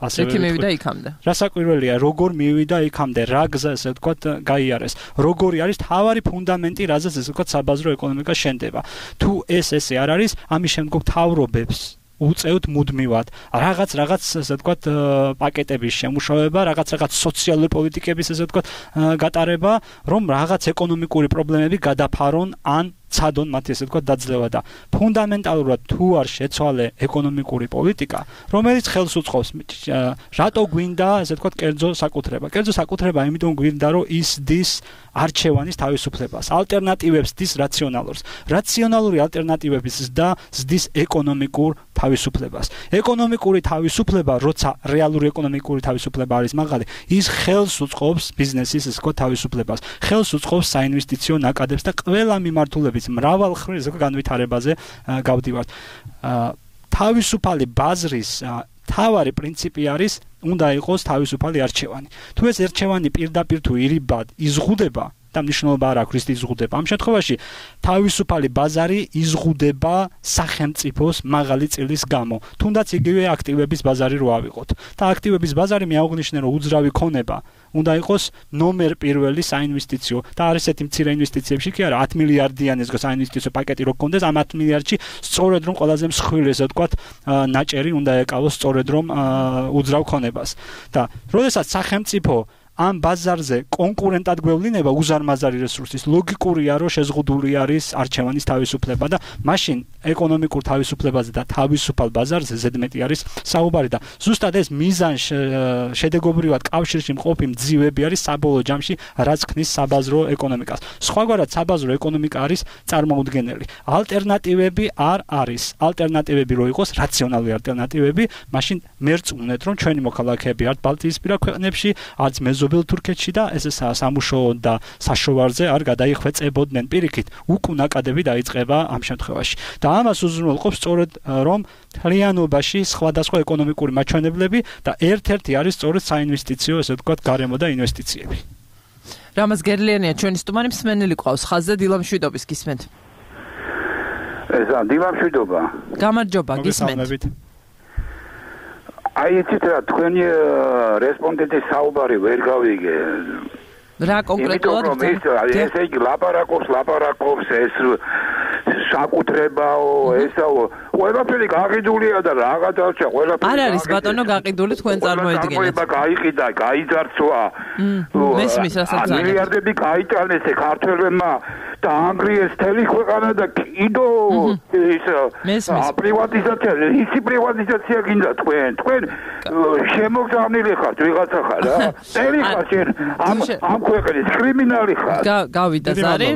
ასე მივიდა იქამდე. რასაკვირველია, როგორ მივიდა იქამდე, რა გზა ესე ვთქვათ გაიარეს. როგორი არის თავარი ფუნდამენტი, რაზეც ესე ვთქვათ საბაზრო ეკონომიკა შენდება. თუ ეს ესე არ არის, ამის შემდგომ თავრობებს უწევთ მუდმივად რაღაც რაღაც ესე ვთქვათ პაკეტების შემუშავება, რაღაც რაღაც სოციალური პოლიტიკების ესე ვთქვათ გატარება, რომ რაღაც ეკონომიკური პრობლემები გადაფარონ ან ცადონ მათი ესე ვთქვათ დაძლევა და ფუნდამენტალურად თუ არ შეცვალე ეკონომიკური პოლიტიკა, რომელიც ხელს უწყობს რატო გვინდა ესე ვთქვათ კერძო საკუთრება. კერძო საკუთრება იმიტომ გვინდა, რომ ის დის არჩევანის თავისუფლებას, ალტერნატივებს დის რაციონალურს. რაციონალური ალტერნატივების და ზდის ეკონომიკურ თავისუფლებას. ეკონომიკური თავისუფლება, როცა რეალური ეკონომიკური თავისუფლება არის მაღალი, ის ხელს უწყობს ბიზნესის ესე ვთქვათ თავისუფლებას. ხელს უწყობს საინვესტიციო ნაკადებს და ყველა მიმართულებით მრავალხრივ განვითარებაზე გავდივართ. თავისუფალი ბაზრის თავარი პრინციპი არის უნდა იყოს თავისუფალი არჩევანი. თუ ეს არჩევანი პირდაპირ თუ ირიბად იზღუდება და მნიშვნელობა არ აქვს ის იზღუდება. ამ შემთხვევაში თავისუფალი ბაზარი იზღუდება სახელმწიფოს მაღალი წილის გამო. თუნდაც იგივე აქტივების ბაზარი რო ავიღოთ. და აქტივების ბაზარი მე აღვნიშნე რომ უძრავი ქონება უნდა იყოს ნომერ პირველი საინვესტიციო და არის ესეთი მცირე ინვესტიციებში კი არა ათი მილიარდიანი ეს საინვესტიციო პაკეტი რო გქონდეს ამ ათი მილიარდში სწორედ რომ ყველაზე მსხვილი ესე ვთქვათ ნაჭერი უნდა ეკავოს სწორედ რომ უძრავ ქონებას. და როდესაც სახელმწიფო ამ ბაზარზე კონკურენტად გვევლინება უზარმაზარი რესურსის ლოგიკურია რომ შეზღუდული არის არჩევანის თავისუფლება და მაშინ ეკონომიკურ თავისუფლებაზე და თავისუფალ ბაზარზე ზედმეტი არის საუბარი და ზუსტად ეს მიზან შედეგობრივად კავშირში მყოფი მძივები არის საბოლოო ჯამში რაც ქმნის საბაზრო ეკონომიკას. სხვაგვარად საბაზრო ეკონომიკა არის წარმოუდგენელი. ალტერნატივები არ არის. ალტერნატივები რო იყოს რაციონალური ალტერნატივები, მაშინ მერწმუნეთ რომ ჩვენი მოქალაქეები არც ბალტიისპირა ქვეყნებში, არც მეზობელ თურქეთში და ეს სამუშაო და საშოვარზე არ გადაიხვეწებოდნენ. პირიქით, უკუნაკადები დაიწყება ამ შემთხვევაში. და ამას უზრუნველყოფს სწორედ რომ მთლიანობაში სხვადასხვა ეკონომიკური მაჩვენებლები და ერთ-ერთი არის სწორედ საინვესტიციო, ესე ვთქვათ, გარემო და ინვესტიციები. რამაზ გერლიანია ჩვენი სტუმარი მსმენელი ყავს ხაზზე დილამშვიდობის გისმენთ. ესა დილამშვიდობა. გამარჯობა გისმენთ. აი იცით რა თქვენი რესპონდენტის საუბარი ვერ გავიგე. რა კონკრეტულად ესე იგი ლაპარაკობს ლაპარაკობს ეს საკუთრებაო ესაო ყველაფერი გაყიდულია და რაღაცა ყველაფერი არ არის ბატონო გაყიდული თქვენ წარმოედგინეთ. ყველა გაიყიდა, გაიძარცვა. მესმის რასაც ძალიან მილიარდები გაიტანეს ქართველებმა და ანგრიეს თელი ქვეყანა და კიდო ის პრივატიზაცია, ისი პრივატიზაცია გინდა თქვენ. თქვენ შემოგზავნილი ხართ ვიღაცა ხარ რა. წელი ხარ შენ ამ ამ ქვეყნის კრიმინალი ხარ. გავიდა ზარი,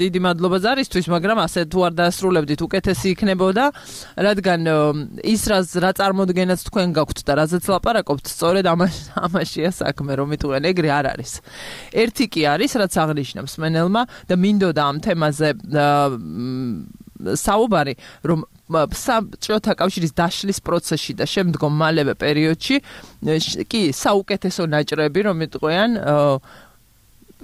დიდი მადლობა ზარისთვის, მაგრამ ასე თუ არ დაასრულებდით უკეთესი იქნებოდა, რადგან ის რაც რა წარმოდგენაც თქვენ გაქვთ და რაზეც ლაპარაკობთ, სწორედ ამაშია საქმე, რომ იტყვენ ეგრე არ არის. ერთი კი არის, რაც აღნიშნავს მსმენელმა და მინდოდა ამ თემაზე საუბარი, რომ საბჭოთა კავშირის დაშლის პროცესში და შემდგომ მალევე პერიოდში კი საუკეთესო ნაჭრები, რომ იტყვიან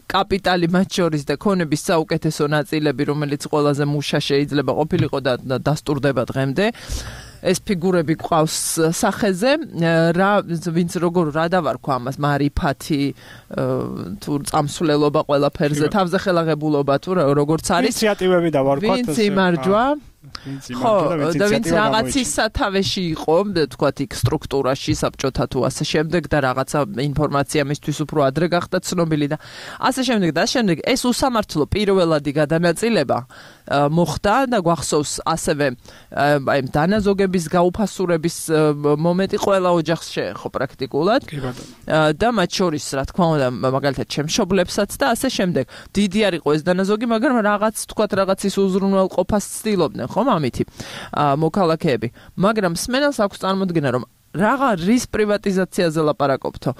კაპიტალი მათ შორის და ქონების საუკეთესო ნაწილები, რომელიც ყველაზე მუშა შეიძლება ყოფილიყო და დასტურდება დღემდე. ეს ფიგურები ყავს სახეზე, რა ვინც როგორ რა დავარქვა ამას, მარიფათი, თუ წამსვლელობა ყველაფერზე, თავზე ხელაღებულობა თუ როგორც არის. ინიციატივები დავარქვა. ვინც იმარჯვა ხო, და ვინც რაღაცის სათავეში იყო, თქვათ იქ სტრუქტურაში, საბჭოთა თუ ასე შემდეგ და რაღაცა ინფორმაცია მისთვის უფრო ადრე გახდა ცნობილი და ასე შემდეგ და შემდეგ ეს უსამართლო პირველადი გადანაწილება მოხდა და გვახსოვს ასევე აი დანაზოგების გაუფასურების მომენტი ყველა ოჯახს შეეხო პრაქტიკულად და მათ შორის რა თქმა უნდა მაგალითად ჩემშობლებსაც და ასე შემდეგ დიდი არ იყო ეს დანაზოგი, მაგრამ რაღაც თქვათ რაღაცის უზრუნველყოფას ცდილობდნენ ხომ ამითი მოქალაქეები, მაგრამ მსმენელს აქვს წარმოდგენა რომ რაღა რის პრივატიზაციაზე ლაპარაკობთო.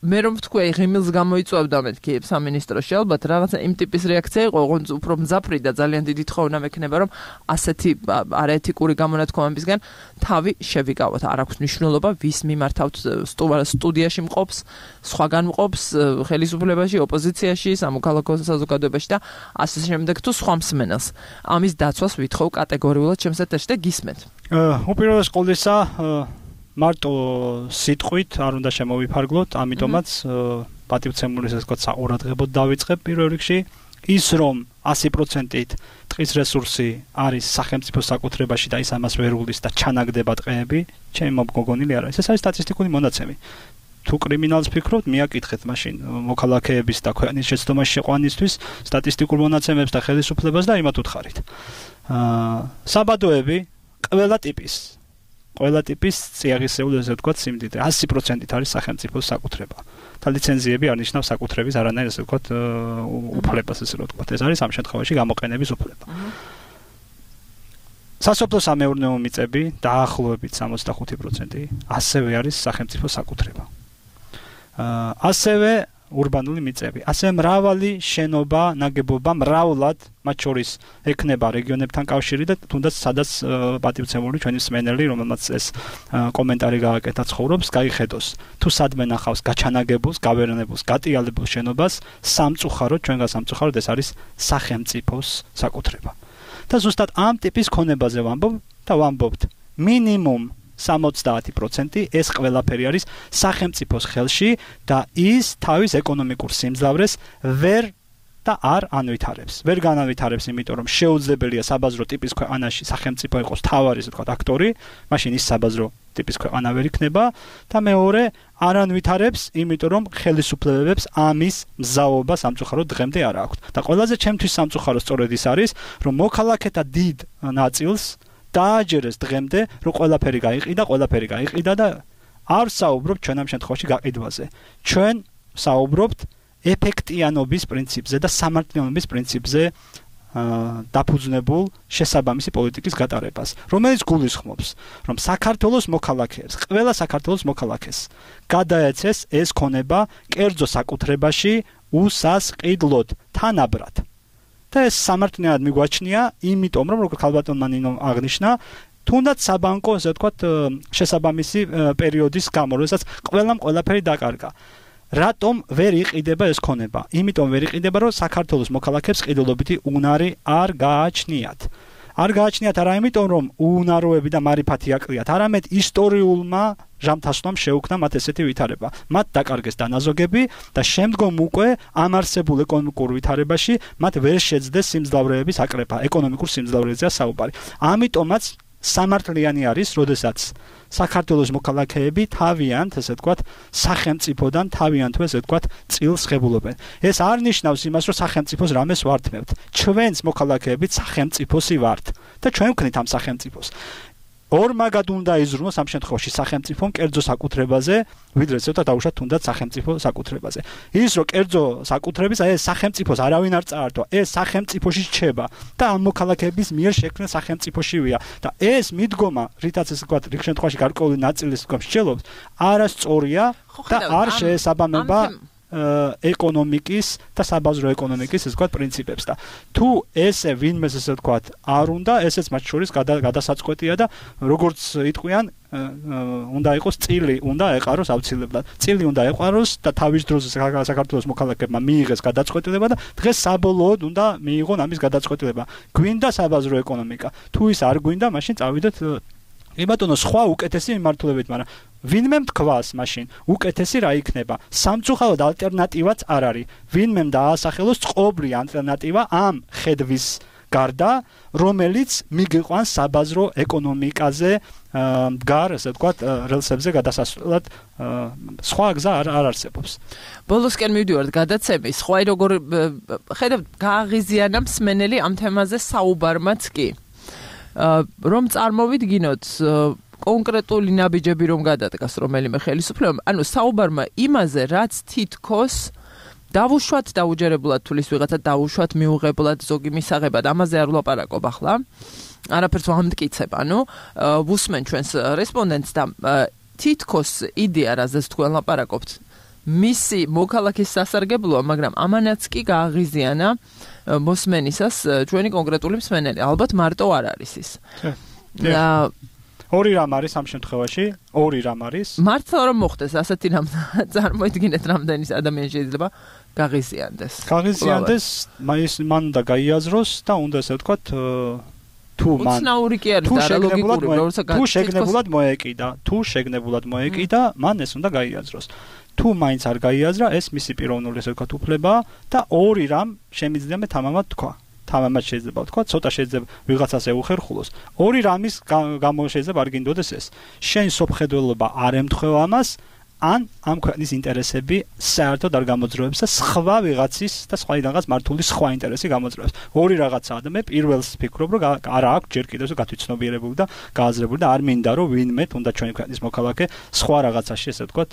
მე რომ ვთქვი ღიმილს გამოიწვევდა მეთქი სამინისტროში ალბათ რაღაცა იმ ტიპის რეაქცია იყო, ოღონდ უფრო მძაფრი და ძალიან დიდი თხოვნა მექნება რომ ასეთი არაეთიკური გამონათქვამებისგან თავი შევიკავოთ. არ აქვს მნიშვნელობა ვის მიმართავთ სტუდიაში მყოფს, სხვაგან მყოფს, ხელისუფლებაში, ოპოზიციაში, სამოქალაქო საზოგადოებაში და ასე შემდეგ თუ სხვა მსმენელს. ამის დაცვას ვითხოვ კატეგორიულად ჩემს ეთერში და გისმენთ. უპირველეს ყოვლისა მარტო სიტყვით არ უნდა შემოვიფარგლოთ, ამიტომაც პატივცემული ესე ვთქვათ საყურადღებოდ დავიწყებ პირველ რიგში ის რომ ასი პროცენტით ტყის რესურსი არის სახელმწიფოს საკუთრებაში და ის ამას ვერ უვლის და ჩანაგდება ტყეები, ჩემი მომგონილი არ არის. ეს არის სტატისტიკური მონაცემი. თუ კრიმინალს ფიქრობთ, მიაკითხეთ მაშინ მოქალაქეების და ქვეყნის შეცდომაში შეყვანისთვის სტატისტიკურ მონაცემებს და ხელისუფლებას და იმათ უთხარით. აა საბადოები ყველა ტიპის ყველა ტიპის წიაღისეული ესე ვთქვათ სიმდიდრე ასი პროცენტით არის სახელმწიფოს საკუთრება. და ლიცენზიები არ ნიშნავს საკუთრების არანაირ ესე ვთქვათ უფლებას ესე ვთქვათ. ეს არის ამ შემთხვევაში გამოყენების უფლება. სასოფლო-სამეურნეო მიწები დაახლოებით სამოცდახუთი პროცენტი ასევე არის სახელმწიფოს საკუთრება. აა ასევე урბანული მიწები. ასე მრავალი შენობა, ნაგებობა მრავლად, მათ შორის ექნება რეგიონებთან კავშირი და თუნდაც სადაც პატივცემული ჩვენი მსმენელი, რომელმაც ეს კომენტარი გააკეთა ცხოვრობს, გაიხედოს. თუ სადმე ნახავს გაჩანაგებულს, გავერნებულს, გატიალებულ შენობას, სამწუხაროდ, ჩვენგან სამწუხაროდ ეს არის სახელმწიფოს საკუთრება. და ზუსტად ამ ტიპის ქონებაზე ვამბობ და ვამბობთ მინიმუმ სამოცდაათი პროცენტი ეს ყველაფერი არის სახელმწიფოს ხელში და ის თავის ეკონომიკურ სიმძლავრეს ვერ და არ ანვითარებს. ვერ განავითარებს, იმიტომ რომ შეუძლებელია საბაზრო ტიპის ქვეყანაში სახელმწიფო იყოს თავარი, ასე ვთქვათ, აქტორი, მაშინ ის საბაზრო ტიპის ქვეყანა ვერ იქნება და მეორე არ ანვითარებს, იმიტომ რომ ხელისუფლებებს ამის მზაობა სამწუხაროდ დღემდე არ აქვს. და ყველაზე ჩემთვის სამწუხარო სწორედ ის არის, რომ მოქალაქეთა დიდ ნაწილს დააჯერეს დღემდე, რომ ყველაფერი გაიყიდა, ყველაფერი გაიყიდა და არ საუბრობთ ჩვენ ამ შემთხვევაში გაყიდვაზე. ჩვენ საუბრობთ ეფექტიანობის პრინციპზე და სამართლიანობის პრინციპზე დაფუძნებულ შესაბამისი პოლიტიკის გატარებას, რომელიც გულისხმობს, რომ საქართველოს მოქალაქეებს, ყველა საქართველოს მოქალაქეს გადაეცეს ეს ქონება კერძო საკუთრებაში უსასყიდლოდ, თანაბრად. და ეს სამართლიანად მიგვაჩნია, იმიტომ რომ როგორც ქალბატონმა ნინო აღნიშნა, თუნდაც საბანკო, ასე ვთქვათ, შესაბამისი პერიოდის გამო, როდესაც ყველამ ყველაფერი დაკარგა. რატომ ვერ იყიდება ეს ქონება? იმიტომ ვერ იყიდება, რომ საქართველოს მოქალაქეებს ყიდულობითი უნარი არ გააჩნიათ. არ გააჩნიათ არა იმიტომ, რომ უუნაროები და მარიფათი აკლიათ, არამედ ისტორიულმა ჟამთასვლამ შეუქმნა მათ ესეთი ვითარება. მათ დაკარგეს დანაზოგები და შემდგომ უკვე ამ არსებულ ეკონომიკურ ვითარებაში მათ ვერ შეძლეს სიმძლავრეების აკრეფა, ეკონომიკურ სიმძლავრეებზეა საუბარი. ამიტომაც სამართლიანი არის, როდესაც საქართველოს მოქალაქეები თავიანთ, ასე ვთქვათ, სახელმწიფოდან თავიანთვე, ასე ვთქვათ, წილს ღებულობენ. ეს არ ნიშნავს იმას, რომ სახელმწიფოს რამეს ვართმევთ. ჩვენს მოქალაქეებით სახელმწიფოსი ვართ და ჩვენ ვქნით ამ სახელმწიფოს. ორმაგად უნდა იზრუნოს ამ შემთხვევაში სახელმწიფომ კერძო საკუთრებაზე, ვიდრე ცოტა დაუშვათ თუნდაც სახელმწიფო საკუთრებაზე. ის რომ კერძო საკუთრების, აი ეს სახელმწიფოს არავინ არ წაართვა, ეს სახელმწიფოში რჩება და ამ მოქალაქეების მიერ შექმნილ სახელმწიფოშივია და ეს მიდგომა, რითაც ესე ვთქვათ, რიგ შემთხვევაში გარკვეული ნაწილის თქვა მსჯელობს, არასწორია და არ შეესაბამება ეკონომიკის და საბაზრო ეკონომიკის ეს ვთქვათ პრინციპებს და თუ ესე ვინმეს ესე ვთქვათ არ უნდა ესეც მათ შორის გადასაწყვეტია და როგორც იტყვიან უნდა იყოს წილი უნდა ეყაროს აუცილებლად წილი უნდა ეყაროს და თავის დროზე საქართველოს მოქალაქეებმა მიიღეს გადაწყვეტილება და დღეს საბოლოოდ უნდა მიიღონ ამის გადაწყვეტილება გვინდა საბაზრო ეკონომიკა თუ ის არ გვინდა მაშინ წავიდეთ კი ბატონო სხვა უკეთესი მიმართულებით მაგრამ ვინმე თქვას მაშინ უკეთესი რა იქნება სამწუხაროდ ალტერნატივაც არ არის ვინმე დაასახელოს წყობრი ალტერნატივა ამ ხედვის გარდა რომელიც მიგიყვანს საბაზრო ეკონომიკაზე მდგარ ასე ვთქვათ რელსებზე გადასასვლელად სხვა გზა არ არ არსებობს ბოლოსკენ მივდივართ გადაცემის სხვა როგორ ხედავთ გააღიზიანა მსმენელი ამ თემაზე საუბარმაც კი რომ წარმოვიდგინოთ კონკრეტული ნაბიჯები რომ გადადგას რომელიმე ხელისუფლებამ, ანუ საუბარმა იმაზე, რაც თითქოს დავუშვათ დაუჯერებლად თulis ვიღაცა დავუშვათ მიუღებლად ზოგი მისაღებად, ამაზე არ ვლაპარაკობ ახლა. არაფერს ვამტკიცებ, ანუ ვუსმენ ჩვენს რესპონდენტს და თითქოს იდეა რაზეც თქვენ ლაპარაკობთ. მისი მოქალაქის სასარგებლოა, მაგრამ ამანაც კი გააღიზიანა მოსმენისას ჩვენი კონკრეტული მსმენელი. ალბათ მარტო არ არის ის. და ორი რამ არის ამ შემთხვევაში, ორი რამ არის. მართლა რომ მოხდეს ასეთი რამ წარმოიდგინეთ რამდენი ადამიანი შეიძლება გააღიზიანდეს. გააღიზიანდეს, მაინც მან უნდა გაიაზროს და უნდა ესე ვთქვათ თუ მან უცნაური კი არის და არა ლოგიკური, როცა თუ შეგნებულად მოეკიდა, თუ შეგნებულად მოეკიდა, მან ეს უნდა გაიაზროს. თუ მაინც არ გაიაზრა, ეს მისი პიროვნული ესე ვთქვათ უფლებაა და ორი რამ შემიძლია მე თამამად თქვა. თამამად შეიძლება ვთქვა, ცოტა შეიძლება ვიღაცას ეუხერხულოს. ორი რამის გამო შეიძლება არ გინდოდეს ეს. შენ სოფხედველობა არ ემთხვევა ამას, ან ამ ქვეყნის ინტერესები საერთოდ არ გამოძროებს და სხვა ვიღაცის და სხვაიდანღაც მართული სხვა ინტერესი გამოძროებს. ორი რაღაცაა და მე პირველს ვფიქრობ, რომ არა აქვს ჯერ კიდევ გათვითცნობიერებული და გააზრებული და არ მინდა რომ ვინმე თუნდაც ჩვენი ქვეყნის მოქალაქე სხვა რაღაცაში ესე ვთქვათ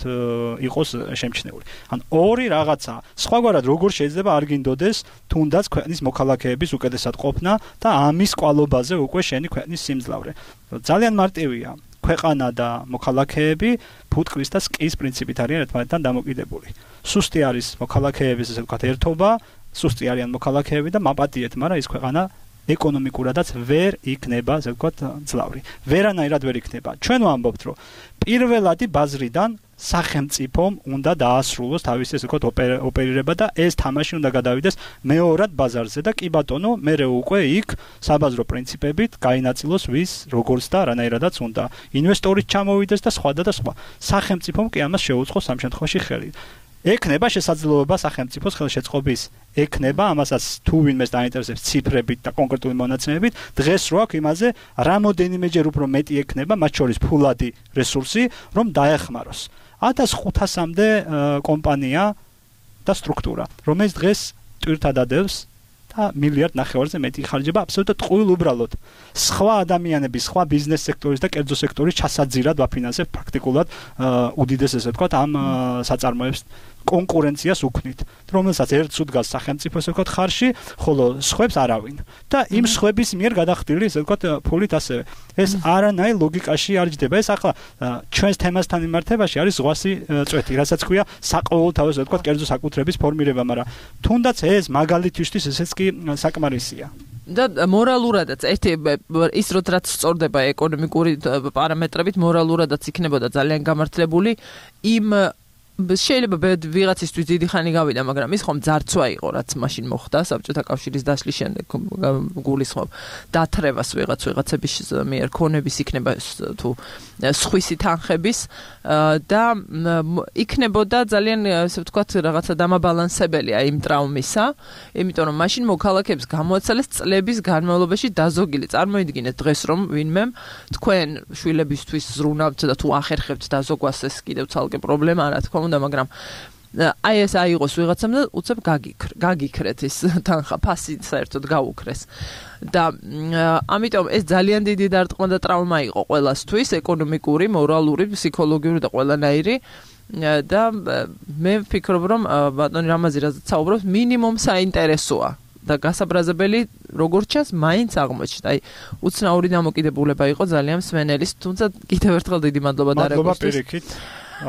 იყოს შემჩნეული. ან ორი რაღაცა. სხვაგვარად როგორ შეიძლება არ გინდოდეს თუნდაც ქვეყნის მოქალაქეების უკეთესად ყოფნა და ამის კვალობაზე უკვე შენი ქვეყნის სიმძლავრე. ძალიან მარტივია. ქვეყანა და მოქალაქეები ფუტკრის და სკის პრინციპით არიან ერთმანეთთან დამოკიდებული. სუსტი არის მოქალაქეების ესე ვთქვათ ერთობა, სუსტი არიან მოქალაქეები და მაპატიეთ, მაგრამ ის ქვეყანა ეკონომიკურადაც ვერ იქნება, ასე ვთქვათ, ძლავრი. ვერანაირად ვერ იქნება. ჩვენ ვამბობთ, რომ პირველადი ბაზრიდან სახელმწიფომ უნდა დაასრულოს თავისი ესე ვთქვათ ოპერირება და ეს თამაში უნდა გადავიდეს მეორად ბაზარზე და კი ბატონო, მერე უკვე იქ საბაზრო პრინციპებით გაინაწილოს ვის როგორც და რანაირადაც უნდა. ინვესტორიც ჩამოვიდეს და სხვა და სხვა. სახელმწიფომ კი ამას შეუწყოს ამ შემთხვევაში ხელი. ექნება შესაძლებლობა სახელმწიფოს ხელშეწყობის ექნება ამასაც თუ ვინმეს დაინტერესებს ციფრებით და კონკრეტული მონაცემებით დღეს რო აქვს იმაზე რამოდენიმეჯერ უფრო მეტი ექნება მათ შორის ფულადი რესურსი რომ დაეხმაროს ათას ხუთასამდე კომპანია და სტრუქტურა რომელიც დღეს ტვირთად ადევს და მილიარდ ნახევარზე მეტი ხარჯება აბსოლუტურად ყვილ უბრალოდ სხვა ადამიანების სხვა ბიზნეს სექტორის და კერძო სექტორის ჩასაძირად ვაფინანსებ პრაქტიკულად უდიდეს ესე ვთქვათ ამ საწარმოებს კონკურენციას უქმნით რომელსაც ერთს უდგას სახელმწიფო ესე ვთქვათ ხარში ხოლო სხვებს არავინ და იმ სხვების მიერ გადახდილი ესე ვთქვათ ფულით ასევე ეს არანაირ ლოგიკაში არ ჯდება ეს ახლა ჩვენს თემასთან მიმართებაში არის ზღვასი წვეთი რასაც ქვია საყოველთაო ესე ვთქვათ კერძო საკუთრების ფორმირება მაგრამ თუნდაც ეს მაგალითისთვის ესეც კი საკმარისია და მორალურადაც ერთი ის რაც სწორდება ეკონომიკური პარამეტრებით მორალურადაც იქნებოდა ძალიან გამართლებული იმ შეიძლება ვიღაცისთვის დიდი ხანი გავიდა, მაგრამ ის ხომ ძარცვა იყო, რაც მაშინ მოხდა საბჭოთა კავშირის დასლის შემდეგ გულისხმობ დათრევას ვიღაც ვიღაცების მიერ ქონების იქნება თუ სხვისი თანხების და იქნებოდა ძალიან ასე ვთქვათ რაღაცა დამაბალანსებელია იმ ტრაუმისა, იმიტომ რომ მაშინ მოქალაქეებს გამოაცალეს წლების განმავლობაში დაზოგილი. წარმოიდგინეთ დღეს რომ ვინმე თქვენ შვილებისთვის ზრუნავთ და თუ ახერხებთ დაზოგვას ეს კიდევ ცალკე პრობლემა რა თქმა უნდა მაგრამ აი ეს აიღოს ვიღაცამ და უცებ გაგიქრეთ ის თანხა ფასი საერთოდ გაუქრეს და ამიტომ ეს ძალიან დიდი დარტყმა და ტრაუმა იყო ყველასთვის ეკონომიკური, მორალური, ფსიქოლოგიური და ყველანაირი და მე ვფიქრობ რომ ბატონი რამაზი რასაც საუბრობს მინიმუმ საინტერესოა და გასაბრაზებელი როგორც ჩანს მაინც აღმოჩნდა. აი უცნაური დამოკიდებულება იყო ძალიან მსმენელის, თუმცა კიდევ ერთხელ დიდი მადლობა და მადლობა პირიქით.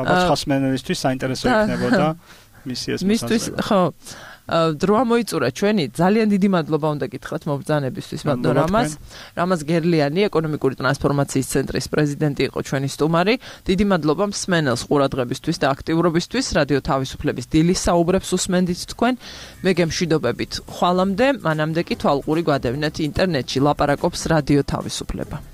ალბათ ხასმენელისთვის საინტერესო იქნებოდა მისი ეს მისთვის ხო დრო მოიწურა ჩვენი ძალიან დიდი მადლობა უნდა გითხრათ მობრძანებისთვის ბატონ რამაზ რამაზ გერლიანი ეკონომიკური ტრანსფორმაციის ცენტრის პრეზიდენტი იყო ჩვენი სტუმარი დიდი მადლობა მსმენელს ყურადღებისთვის და აქტიურობისთვის რადიო თავისუფლების დილის საუბრებს უსმენდით თქვენ მე გემშვიდობებით ხვალამდე მანამდე კი თვალყური გვადევნეთ ინტერნეტში ლაპარაკობს რადიო თავისუფლება